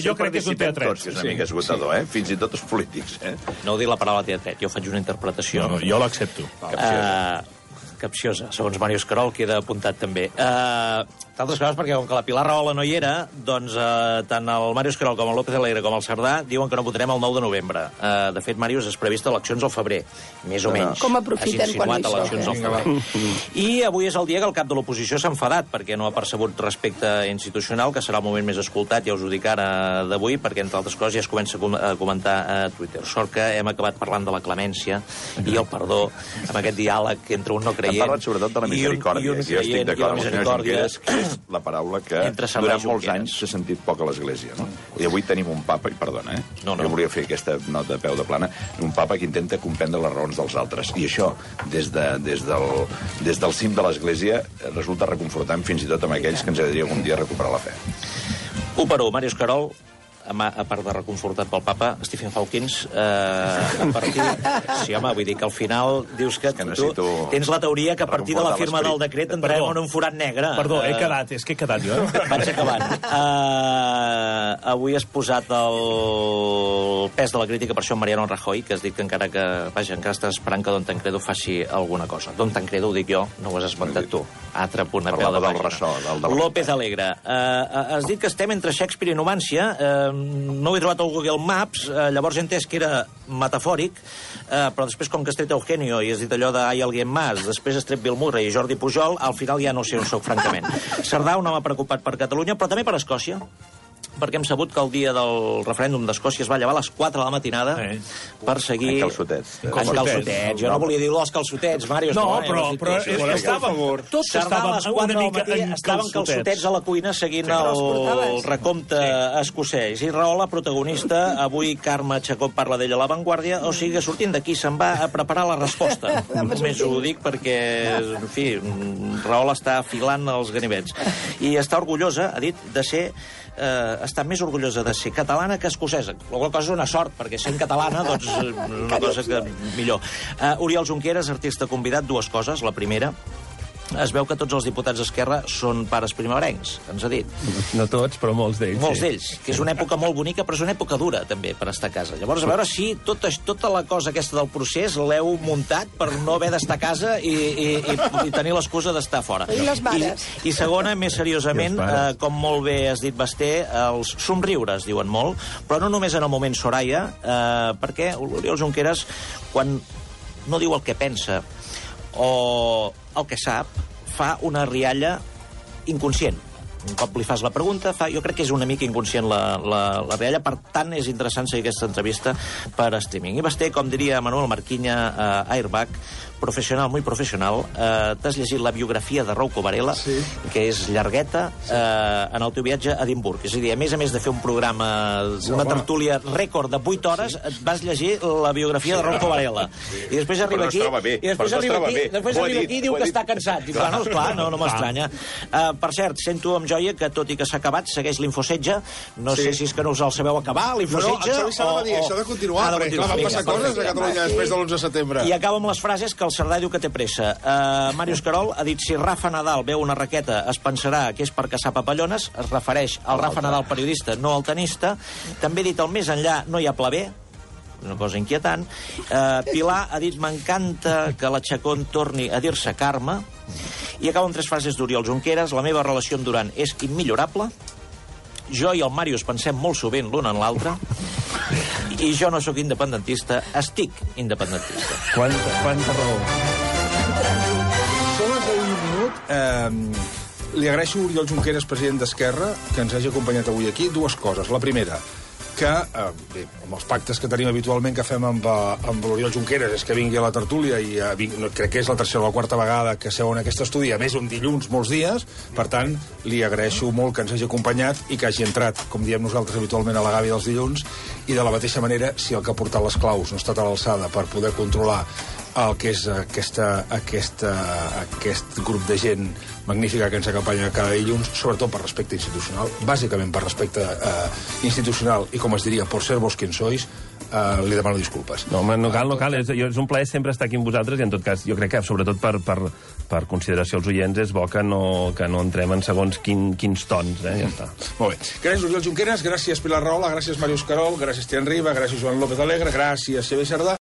S7: Jo crec que és un teatret.
S6: És una mica esgotador, fins i tot els polítics.
S10: No ho dic la paraula teatret, jo faig una interpretació.
S7: No, jo l'accepto.
S10: Capciosa, segons Màrius Carol, queda apuntat també. Entre altres coses perquè com que la Pilar Rahola no hi era, doncs tant el Màrius Querol com el López Alegre com el Cerdà diuen que no votarem el 9 de novembre. De fet, Màrius, és previst eleccions al febrer, més o menys.
S8: Com aprofiten quan hi
S10: eleccions al febrer. I avui és el dia que el cap de l'oposició s'ha enfadat perquè no ha percebut respecte institucional, que serà el moment més escoltat, ja us ho dic ara d'avui, perquè entre altres coses ja es comença a comentar a Twitter. Sort que hem acabat parlant de la clemència i el perdó, amb aquest diàleg entre un no creient...
S6: Hem parlat sobretot de la misericòrdia. Jo estic d'acord amb el senyor Junqueras, que és la paraula que durant molts anys s'ha sentit poc a l'Església. I avui tenim un papa, i perdona, jo volia fer aquesta nota de peu de plana, un papa que intenta comprendre les raons dels altres. I això, des del cim de l'Església, resulta reconfortant fins i tot amb aquells que ens agradaria algun dia recuperar la fe.
S10: 1 per 1, Màrius Querol, a part de reconfortat pel papa, Stephen Hawking, a partir... Sí, home, vull dir que al final dius que tu tens la teoria que a partir de la firma del decret entrem en un forat negre.
S7: Perdó, és que he quedat jo.
S10: Vaig acabant. Avui has posat el pes de la crítica per això en Mariano Rajoy, que has dit que encara estàs esperant que Don Tancredo faci alguna cosa. Don Tancredo, ho dic jo, no ho has esmentat tu. Altre punt a peu de pàgina. López Alegre. Has dit que estem entre Shakespeare i Numància. No ho he trobat al Google Maps, llavors he entès que era metafòric, però després, com que has tret Eugenio i has dit allò de «Hay alguien más», després has tret Bill Murray i Jordi Pujol, al final ja no sé on soc, francament. Cerdà, un home preocupat per Catalunya, però també per Escòcia, perquè hem sabut que el dia del referèndum d'Escòcia es va llevar a les 4 de la matinada per seguir...
S6: En calçotets.
S10: Jo no volia dir els calçotets, Màrius.
S7: No, però estaven... Tots estaven una mica en
S10: estaven calçotets a la cuina seguint el recompte escocès. I Rahola, protagonista, avui Carme Chacón parla d'ella a La Vanguardia, o sigui, sortint d'aquí se'n va a preparar la resposta. Només ho dic perquè, en fi, Rahola està afilant els ganivets. I està orgullosa, ha dit, de ser... està més orgullosa de ser catalana que escocesa. La qual cosa és una sort, perquè sent catalana, doncs, una cosa que millor. Oriol Junqueras, artista convidat, 2 coses. La primera, es veu que tots els diputats d'Esquerra són pares primerencs, ens ha dit.
S3: No tots, però molts d'ells.
S10: Molts d'ells, que és una època molt bonica, però és una època dura, també, per estar a casa. Llavors, a veure si tota la cosa aquesta del procés l'heu muntat per no haver d'estar a casa i tenir l'excusa d'estar fora.
S8: I les mares.
S10: I segona, més seriosament, com molt bé has dit, Basté, els somriures, diuen molt, però no només en el moment Soraya, perquè l'Oriol Junqueras, quan no diu el que pensa o el que sap, fa una rialla inconscient. Un cop li fas la pregunta, jo crec que és una mica inconscient la rialla, per tant és interessant seguir aquesta entrevista per streaming. I Basté, com diria Manuel Marquinya, Airbag, professional, muy professional. T'has llegit la biografia de Rouco Varela, que és llargueta, en el teu viatge a Edimburg. És a dir, a més de fer un programa, una tertúlia rècord de 8 hores, et vas llegir la biografia de Rouco Varela. I després arriba aquí i diu que està cansat. I clar, no m'estranya. Per cert, sento amb joia que, tot i que s'ha acabat, segueix l'Infosetge. No sé si és que no us el sabeu acabar, l'Infosetge.
S2: No, s'ha de dir, això ha de continuar, perquè clar, van passar coses a Catalunya després de l'11 de setembre.
S10: I acabo amb les frases que el Cerdà diu que té pressa. Màrius Querol ha dit si Rafa Nadal veu una raqueta es pensarà que és per caçar papallones, es refereix al Rafa Nadal periodista, no al tenista. També ha dit el més enllà no hi ha pla B, una cosa inquietant. Pilar ha dit m'encanta que la Chacón torni a dir-se Carme. I acabo amb 3 frases d'Oriol Junqueras. La meva relació amb Duran és immillorable. Jo i el Màrius pensem molt sovint l'un en l'altre. I jo no sóc independentista, estic independentista.
S3: Quanta raó.
S2: Són les 10 minut. Li agraeixo a Oriol Junqueras, president d'Esquerra, que ens hagi acompanyat avui aquí. 2 coses. La primera, que, bé, amb els pactes que tenim habitualment que fem amb l'Oriol Junqueras és que vingui a la tertúlia i crec que és la 3ª o la 4ª vegada que seu en aquest estudi, a més un dilluns molts dies, per tant li agraeixo molt que ens hagi acompanyat i que hagi entrat, com diem nosaltres habitualment, a la gàbia dels dilluns, i de la mateixa manera, si el que ha portat les claus no ha estat a l'alçada per poder controlar el que és aquest grup de gent magnífica que ens acompanya cada dilluns, sobretot per respecte institucional, bàsicament per respecte institucional i, com es diria, por ser vos quien sois, li demano disculpes.
S3: No, home, no cal. És un plaer sempre estar aquí amb vosaltres i, en tot cas, jo crec que, sobretot per consideració als oients, és bo que no entrem en segons quins tons, ja està.
S2: Molt bé. Gràcies, Oriol Junqueras, gràcies, Pilar Rahola, gràcies, Màrius Querol, gràcies, Tian Riba, gràcies, Joan López Alegre, gràcies, Xavier Cerdà.